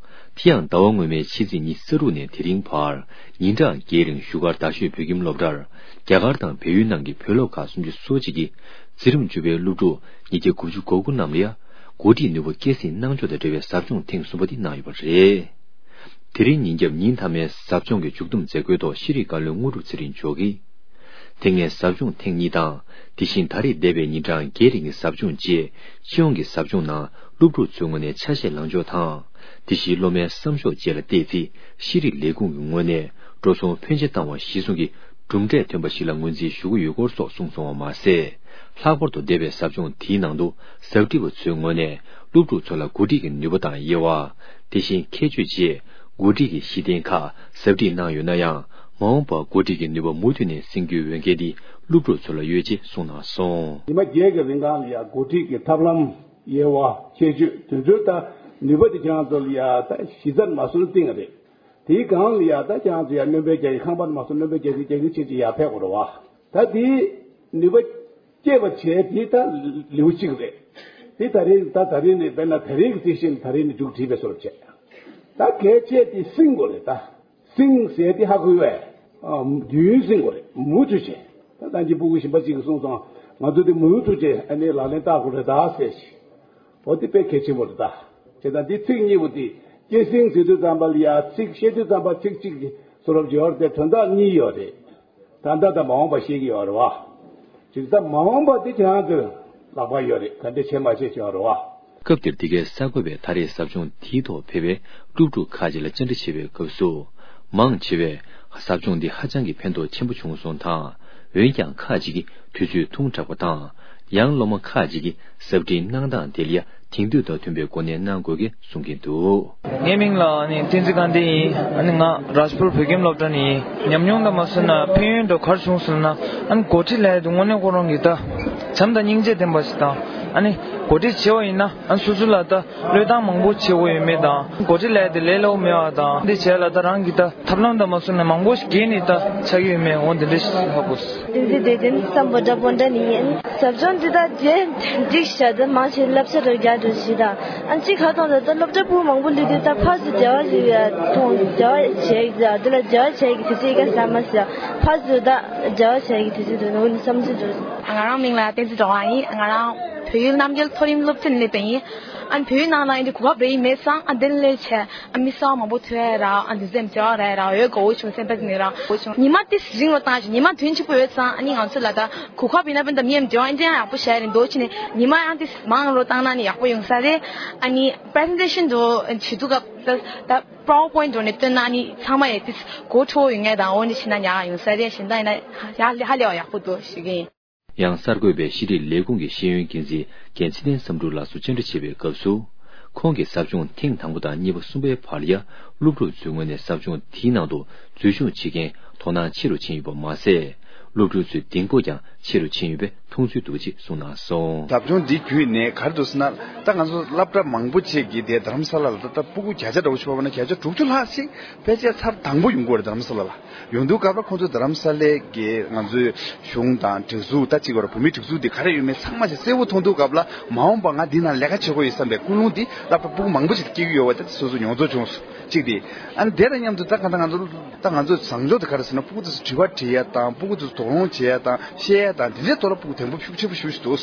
དེ་ཡང་ཟླ་བ་སྔོན་མའི་ཕྱི་ཚེས་ཉི་ཤུ་རྩ་དྲུག་ནས་དེ་རིང་བར་ཉིན་གྲངས་བརྒྱད་རིང་བཞུགས་སྒར་རྡ་ཤོད་བོད་ཁྱིམ་སློབ་གྲྭར་རྒྱ་གར་དང་བལ་ཡུལ་ནང་གི་བོད་སློབ་ཁག་སུམ་ཅུ་སོ་གཅིག་གིས་འཛིན་རིམ་བཅུ་པའི་སློབ་ཕྲུག་ཉིས་བརྒྱ་དགུ་བཅུ་གོ་དགུ་རྣམས་ལ་ཡང་འགོ་ཁྲིད་ནུས་པ་སྐྱེད་སྲིང་གནང་ཕྱོགས་དང་འབྲེལ་བའི་ཟབ་སྦྱོང་ཐེངས་གསུམ་པ་དེ་གནང་ཡོད་པ་རེད། དེ་རིང་ཉིན་རྒྱབ་ཉིན་མཐའ་མའི་ཟབ་སྦྱོང་གི་མཇུག་བསྡོམས་མཛད་སྒོའི་ཐོག་ཤེས་རིག་བཀའ་བློན་དངོས་གྲུབ་ཚེ་རིང་མཆོག་གིས། དེ་སྔའི་ཟབ་སྦྱོང་ཐེངས་གཉིས་དང་། དེ་བཞིན་ད་རེས་འདས་པའི་ཉིན་གྲངས་བརྒྱད་རིང་གི་ཟབ་སྦྱོང་བཅས་སྤྱི་ཡོངས་ཀྱི་ཟབ་སྦྱོང་ནང་སློབ་ཕྲུག་ཚོའི་ངོས་ནས་ཆ་ཤས་ལངས་ཕྱོགས་དང་། དེ་བཞིན་སློབ་མའི་བསམ་ཕྱོགས་བཅས་ལ་བལྟས་ཚེ་ཤེས་རིག་ལས་ཁུངས་ཀྱི་ངོས་ནས་འགྲོ་སོང་ཕོན་ཆེ་བཏང་བ་གཞིར་བཟུང་གི་གྲུབ་འབྲས་ཐོན་པ་ཞིག་ལ་ངོས་འཛིན་ཞུ་གི་ཡོད་སྐོར་སོགས་གསུངས་སོང་བ་མ་ཟད། ལྷག་པར་དུ་འདས་པའི་ཟབ་སྦྱོང་དེའི་ནང་དུ་ཟབ་ཁྲིད་པ་ཚོའི་ངོས་ནས་སློབ་ཕྲུག་ཚོ་ལ་འགོ་ཁྲིད་ཀྱི་ནུས་པ་དང་དབྱེ་བ། དེ་བཞིན་ཁྱད་ཆོས་བཅས་འགོ་ཁྲིད་ཀྱི་གཞི་རྟེན་ཁག་ཟབ་ཁྲིད་གནང་ཡོད་ན་ཡང་། མ་འོངས་པར་འགོ་ཁྲིད་ཀྱི་ནུས་པ་མུ་མཐུད་ནས་སྲུང་རྒྱུའི་འོས་འགན་དེ་སློབ་ཕྲུག་ཚོ་ལ་ཡོད་ཅེས་གསུངས་གནང་སོང་། ཉི་མ་བརྒྱད་ཀྱི་རིང་གང་ལ་ཡང་འགོ་ཁྲིད་ཀྱི་ཐབས་ལམ། དབྱེ་བ། ཁྱད་ཆོས་དེ་ཚོའི་ད་ནུས་པ་དེ་ཁྱེད་རང་ཚོ་ལ་ཡ་ད་གཞི་རྩར་མ་སོན་སྟེང་རེད། དེའི་སྒང་ལ་ཡ་ད་ཁྱེད་རང་ཚོ་ཡ་སྣོན་པ་རྒྱག་གི་ཁང་པར་མ་སོན་སྣོན་པ་རྒྱག་གི་རྒྱག་གི་ཆེད་ཅིག་ཡར་ཕེབས་དགོས་རེད་བ། ད་དེའི་ནུས་པ་སྐྱེད་པ་བྱས་དེ་ད་ལེའུ་གཅིག་རེད། དེ་ད་རེས་ད་ད་རེས་ནས་དཔེར་ན་ད་རེས་ཀྱི་རྩིས་ཤིང་ད་རེས་ནས་མཇུག་བསྒྲིལ་བའི་བཟོ་འདྲ་བྱས། ད་གལ་ཆེ་དེ་སྲིང་དགོས་རེད་ད། སྲིང་ཟེར་དེ་ཧ་གོ་བས། ཨ། དུས་ཡུན་སྲིང་དགོས་རེད། མུ་མཐུད་བྱས། ད་ལྟ་གི་སྤུ་གུ་གཞན་པ་གཅིག་གིས་གསུངས་སོང་། ང་ཚོ་དེ་མུ་མཐུད་བྱས་ཨ་ནི་ལག་ལེན་བསྟར་དགོས་རེད་ད་ཟེར་ཞིག་འོ་དེ་དཔེ་གལ་ཆེན་པོ་རེད་ད། བྱས་ཙང་འདི་ཚིག་གཉིས་པོ་དེ་སྐྱེད་སྲིང་ཟེར་དུས་ཙམ་པ་ལ་ཡ་ཚིག་བཤད་དུས་ཙམ་པ་ཚིག་གཅིག་གི་བཟོ་འདྲ་ཡོད་རེད་དེ་དོན་དག་གཉིས་ཡོད་རེད། ད་ལྟ་དང་མ་འོངས་པ་བཤད་ཀྱི་ཡོད་རེད་བ། ཅིག་ད་མ་འོངས་པ་དེ་ཁྱེད་རང་ཚོའི་ལག་པར་ཡོད་རེད། ག་འདྲ་བྱེད་མ་བྱེད་ཀྱི་ཡོད་རེད་བ། སྐབས་དེར་འདི་གའི་གསར་འགོད་པས་ད་རེས་ཟབ་སྦྱོང་དེའི་ཐོག་ཕེབས་པའི་སློབ་ཕྲུག་ཁག་ཅིག་ལ་བཅར་འདྲི་བྱས་པའི་སྐབས་སུ། མང་ཆེ་བས་ཟབ་སྦྱོང་འདི་ཧ་ཅང་གི་ཕན་ཐོགས་ཆེན་པོ་བྱུང་སོང་དང་། འོན་ཀྱང་ཁག་ཅིག་གིས་དུས་ཚོད་ཐུང་དྲགས་པ་དང་། ཡང་སློབ་མ་ཁག་ཅིག་གིས་ཟབ་ཁྲིད་གནང་སྟངས་དེ་ལ་ཡ་དེང་དུས་དང་མཐུན་པའི་སྒོ་ནས་གནང་དགོས་ཀྱི་གསུང་གིན་འདུག། ངའི་མིང་ལ་ཨ་ནི་བསྟན་འཛིན་དགའ་ལྡན་ཡིན། ཨ་ནི་ང་རཱཇ་པུར་བོད་ཁྱིམ་སློབ་གྲྭ་ནས་ཡིན། ཉམས་མྱོང་དང་མ་སོན་ན་ཕན་ཡོན་དུ་ག་རེ་བྱུང་སོང་ན། ཨ་ནི་འགོ་ཁྲིད་ལས་དུ་དངོས་གནས་ཁོ་རང་གི་ད་བྱམས་དང་སྙིང་རྗེ་ལྡན་པ་ཞིག་དང་། ཨ་ནི་འགོ་ཁྲིད་བྱེད་པ་ཡིན་ན་ཨ་ནི་སོ་སོ་ལ་ད་བློས་བཏང་མང་པོ་བྱེད་དགོས་ཡོད་མེད་དང་། འགོ་ཁྲིད་ལས་དེ་ལས་སླ་པོ་མེད་པ་དང་། འདི་བྱས་ལ་ད་རང་གི་ད་ཐབས་ལམ་དང་མ་སོན་ན་མང་པོ་ཞིག་རྒྱན་ནི་ད་ཆགས་ཀྱི་ཡོད་མེད་འོ་འདི་འདྲ་ཞིག་ཧ་གོ་སོང་། བསྟན་འཛིན་བདེ་ལྡན་བསམ་པ་འདྲ་པོ་འདྲ་ནི་ཡིན། ཟབ་སྦྱོང་འདི་དག་རྗེས་འགྲིག་བྱ་ད་མང་ཆེ་བསླབ་བྱ་རུ་རྒྱག་འགྲོ་ཞིག་དང་། ཨ་གཅིག་ཁ་ཐོག་ད་ད་སློབ་གྲྭ་སྤུ་མང་པོ་སླེབས་དུས་ད་ཕར་ཚུར་འབྲེལ་བ་ཞིག་ཡ་མཐོང་འབྲེལ་བ་བྱས་ཀྱི་ད་འདི་ལ་འབྲེལ་བ་བྱས་ཀྱི་དུས་ཚོད་ཀ་ཟ་མ་ཟ་ཕར་ཚུར་ད་འབྲེལ་བ་བྱས་ཀྱི་དུས་ཚོད་འདུག་ནོ་བསམ་ཚུལ་འདུག། ང་རང་མིང་ལ་བསྟན་འཛིན་སྒྲོལ་དབང་ཡིན། ང་རང་བོད་ཡིག་རྣམ་རྒྱལ་མཐོ་རིམ་སློབ་ཆེན་སླེབས་པ་ཡིན། ཨ་ནི་བོད་ཡིག་ནང་ལ་ཡིན་དུས་གོ་སྐབས་རེ་ཡིན་མེད་ཙང་ཨ་འདི་སླེབས་བྱས། ཨ་མི་གསར་པ་མང་པོ་ཐུག་ཡ་ར་ཨ་འདི་ཚོ་མཇལ་བ་རག་ཡ་ར་འོས་གོ་བོ་བྱུང་སེམས་པ་ནི་ར་འོས་བྱུང་། ཉི་མ་ཏིས་རིང་རོ་བཏང་ཞིང་ཉི་མ་དོན་གཅིག་པོ་ཡོད་ཙང་ཨ་ནི་ང་ཚོ་ལ་ད་གོ་སྐབས་ཡིན་ན་བན་ད་མི་ཡམ་འབྱོར་ཨ་འདི་ཡང་ཡག་པོ་བྱས་རེད་འདོད་ཕྱི་ནས་ཉི་མ་ཡང་ཏིས་མང་རོ་བཏང་ན་ནི་ཡག་པོ་ཡོང་ས་རེད། ཨ་ནི་པི་རེ་སེན་ཊེ་ཤན་འགྲོ་བྱེད་དུས་སྐབས་ད་ད་པ་ཝར་པོ་ཡིན་འགྲོ་ནས་སྟོན་ན་ནི་ཚང་མ་ཡང་ཏིས་གོ་ཁྲོ་ཡོང་ངེས་དང་འོ་ནི་ཕྱི་ན་ཉག་ཡོང་ས་རེད། གཞན་ད་ཡིན་ན་ཡག་ཧ་ལས་པ་ཡག་པོ་འདུག་ཞུ་གི་ཡིན། ཡང་གསར་འགོད་པས་ཤེས་རིག་ལས་ཁུངས་ཀྱི་ཤེས་ཡོན་འགན་འཛིན་རྒན་ཚེ་བརྟན་བསམ་གྲུབ་ལགས་སུ་བཅར་འདྲི་བྱེད་པའི་སྐབས་སུ། ཁོང་གིས་ཟབ་སྦྱོང་ཐེངས་དང་པོ་དང་གཉིས་པ་གསུམ་པའི་བར་ལ་ཡ་སློབ་ཕྲུག་ཚོའི་ངོས་ནས་ཟབ་སྦྱོང་དེའི་ནང་དུ་འཛུལ་ཞུགས་བྱེད་མཁན་དོ་སྣང་ཆེ་རུ་ཕྱིན་ཡོད་པ་མ་ཟད། སློབ་ཕྲུག་ཚོའི་གདེང་སྤོབས་ཀྱང་ཆེ་རུ་ཕྱིན་ཡོད་པའི་མཐོང་ཚུལ་འདུག་ཅེས་གསུངས་གནང་སོང་། ཟབ་སྦྱོང་འདི་བརྒྱུད་ནས་ག་རེ་འདུག་ཟེར་ན་ད་ང་ཚོ་སློབ་གྲྭ་མང་པོ་ཅིག་གི་དེ་རྡ་རམ་ས་ལ་ལ་ད་ལྟ་སྤུ་གུ་བརྒྱ་ཆ་འདྲ་བོ་ཞིག་བབས་ན་བརྒྱ་ཆ་དྲུག་ཅུ་ལྷག་ཅིག་ཕལ་ཆེར་ཚར་དང་པོ་ཡོང་གི་ཡོད་རེད་རྡ་རམ་ས་ལ་ལ། ཡོང་དུས་སྐབས་ལ་ཁོང་ཚོ་རྡ་རམ་ས་ལའི་གི་ང་ཚོའི་གཞུང་དང་སྒྲིག་འཛུགས་ད་གཅིག་བར་བོད་མིའི་སྒྲིག་འཛུགས་འདི་ག་རེ་ཡོད་མེད་ཚང་མ་ཞིག་གསལ་པོ་མཐོང་དུས་སྐབས་ལ་མ་འོངས་པ་ང་འདི་ནང་ལས་ཀ་བྱེད་དགོས་ཡོད་བསམ་པའི་ཀུན་སློང་འདི་སློབ་གྲྭ་སྤུ་གུ་མང་པོ་ཞིག་སྐྱེ་གི་ཡོད་པ་ད་སོ་སོ་མྱོང་ཚོར་བྱུང་སོང་གཅིག་དེ། ཨ་ནི་དེ་དང་མཉམ་དུ་ད་གང་ལྟར་ང་ཚོ་ད་ང་ཚོ་བཟང་ཕྱོགས་དེ་ག་རེ་ཟེར་ན་སྤུ་གུ་དེ་ཚོ་དྲི་བ་དྲི་ཡ་དང་སྤུ་གུ་དེ་ཚོ་དོགས་སློང་བྱེད་ཡ་དང་བཤད་ཡ་དང་དེ་འདྲའི་ཐོག་ལ་སྤུ་གུ་དེང་པོ་ཤུགས་ཆེན་པོ་ཞིག་འདུག་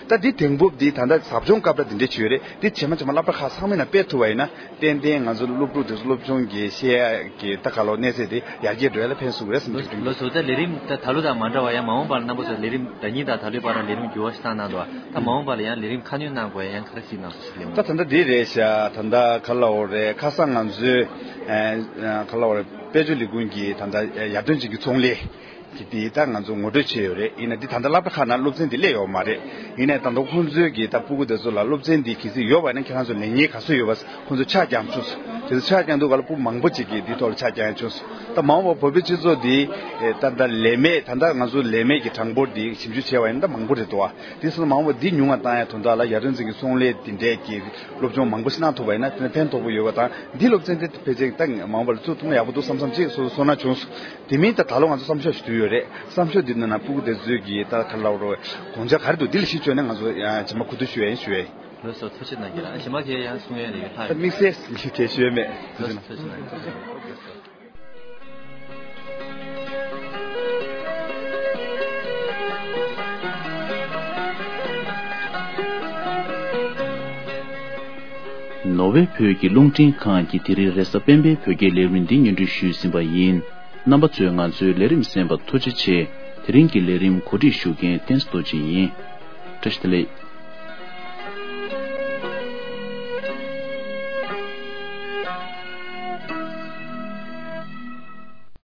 ད་འདི་དེང་པོ་འདི་ད་ལྟ་ཟབ་སྦྱོང་སྐབས་ལ་འདི་འདྲས་བྱས་ཡོད་རེད། འདི་ཇེ་མང་ཇེ་མང་སློབ་གྲྭ་ཁག་ཚང་མའི་ནང་སྤེལ་ཐུབ་པ་ཡིན་ན་ཏན་ཏན་ང་ཚོ་སློབ་ཕྲུག་དེ་ཚོ་སློབ་སྦྱོང་གི་བཤད་ཡ་གི་ད་ག་ལོ་གནས་ཚད་དེ་ཡར་རྒྱས་འགྲོ་ཡ་ལ་ཕན་སོང་གི་རེད་བསམ་གྱི་འདུག་ལོ་ལོ་བཟོ་ལྟ་ལས་རིམ་ད་ད་ལོ་དང་མ་འདྲ་བ་ཡང་མ་འོངས་པར་རྣམ་པ་ཚོ་ལས་རིམ་ཟླ་གཉིས་དང་ད་ལོའི་བར་ལ་ལས་རིམ་འགྱུར་བ་ཞིག་བཏང་གནང་འདུག་ད་མ་འོངས་པ་ལ་ཡང་ལས་རིམ་ཁ་སྣོན་གནང་དགོས་ཡ་ཡང་ག་རེ་གཟིགས་གནང་སོང་ཞིག་ལས་ད་ད་ལྟ་འདི་རེད་ཤག་ད་ལྟ་ག་ལ་འོ་རེད་ཁ་སང་ང་ཚོའི་ག་ལ་འོ་རེད་དཔལ་འབྱོར་ལས་ཁུངས་ཀྱིས་ད་ལྟ་ཡར་ཐོན་ཅན་གྱི་ཚོང་ལས། དེ་དེ་ད་ང་ཚོ་ངོ་སྤྲོད་བྱས་ཡོད་རེད། ཡིན་ན་འདི་ད་ལྟ་སློབ་གྲྭ་ཁག་ནང་སློབ་ཚན་འདི་སླེབས་ཡོད་མ་རེད། ཡིན་ནའི་ད་ལྟ་ཁོང་ཚོའི་གི་ད་སྤུ་གུ་དེ་ཚོ་ལ་སློབ་ཚན་འདི་གལ་སྲིད་ཡོད་པ་ཡིན་ན་ཁྱེད་རང་ཚོ་ལེན་མཁན་ག་ཚོད་ཡོད་པ་ཁོང་ཚོས་ཆ་བརྐྱངས་བྱུང་སོང་། དེ་ཚོ་ཆ་བརྐྱངས་དུས་ག་ལ་སྤུ་གུ་མང་པོ་ཅིག་གིས་འདིའི་ཐོག་ལ་ཆ་བརྐྱངས་བྱུང་སོང་། ད་མ་འོངས་པ་བོད་པའི་སྤྱི་ཚོགས་འདི་ད་ལྟ་ལས་མེད་ད་ལྟ་ང་ཚོ་ལས་མེད་ཀྱི་གྲངས་འབོར་འདི་ཞིབ་འཇུག་བྱས་པ་ཡིན་ན་ད་མང་པོ་རེད་འདུག་བ། དེ་སོང་ན་མ་འོངས་པ་འདི་ཉུང་བ་བཏང་ཡ་དོན་དག་ལ་ཡར་ཐོན་ཅན་གྱི་ཚོང་ལས་འདི་འདྲས་ཀྱི་སློབ་སྦྱོང་མང་པོ་ཞིག་གནང་ཐུབ་པ་ཡིན་ན་དེ་ནི་ཕན་ཐོགས་པོ་ཡོད་པ་དང་འདི་སློབ་ཚན་འདི་ཕལ་ཆེར་ད་མ་འོངས་པ་ལ་བཙུགས་ཐུབ་ན་ཡག་པོ་འདུག་བསམ་བསམ་ཅིག་སོ་སོ་ཚོར་སྣང་བྱུང་སོང་། དེ་མིན་ད་ད་ལོ་ང་ཚོ་བསམ་ཤོག་ཞིག་བསྡུས་ཡོད་རེད། བསམ་ཤོག་འདི་ནང་ན་སྤུ་གུ་དེ་ཚོའི་གི་ད་ག་ལ་རོ་དགོངས་འཆར་ག་རེ་འདུག་འདི་ལ་གཞི་བཅོལ་ནས་ང་ཚོ་ཡང་རྗེས་མ་གོ་བསྡུར་ཞུ་ཡ་ཡིན་ཞུ་ཡ་ཡིན། ལགས་སོ་ཐུགས་རྗེ་གནང་གི་ལགས། གཞན་པ་གས་ཡང་གསུང་ཡ་རེ་ཡོད་ལྷག་ད་དམིགས་བསལ་གས་ཞུ་ཡ་མེད། ཐུགས་རྗེ་གནང་། ཐུགས་རྗེ་གནང་། ནོར་ཝེ་བོད་ཀྱི་རླུང་འཕྲིན་ཁང་གི་དེ་རིང་རེས་གཟའ་སྤེན་པའི་བོད་སྐད་ལས་རིམ་འདི་སྙན་སྒྲོན་ཞུས་ཟིན་པ་ཡིན། རྣམ་པ་ཚོས་ང་ཚོའི་ལས་རིམ་གསན་པར་ཐུགས་རྗེ་ཆེ། དེ་རིང་གི་ལས་རིམ་གོ་སྒྲིག་ཞུ་མཁན་བསྟན་རྡོ་རྗེ་ཡིན། བཀྲ་ཤིས་བདེ་ལེགས།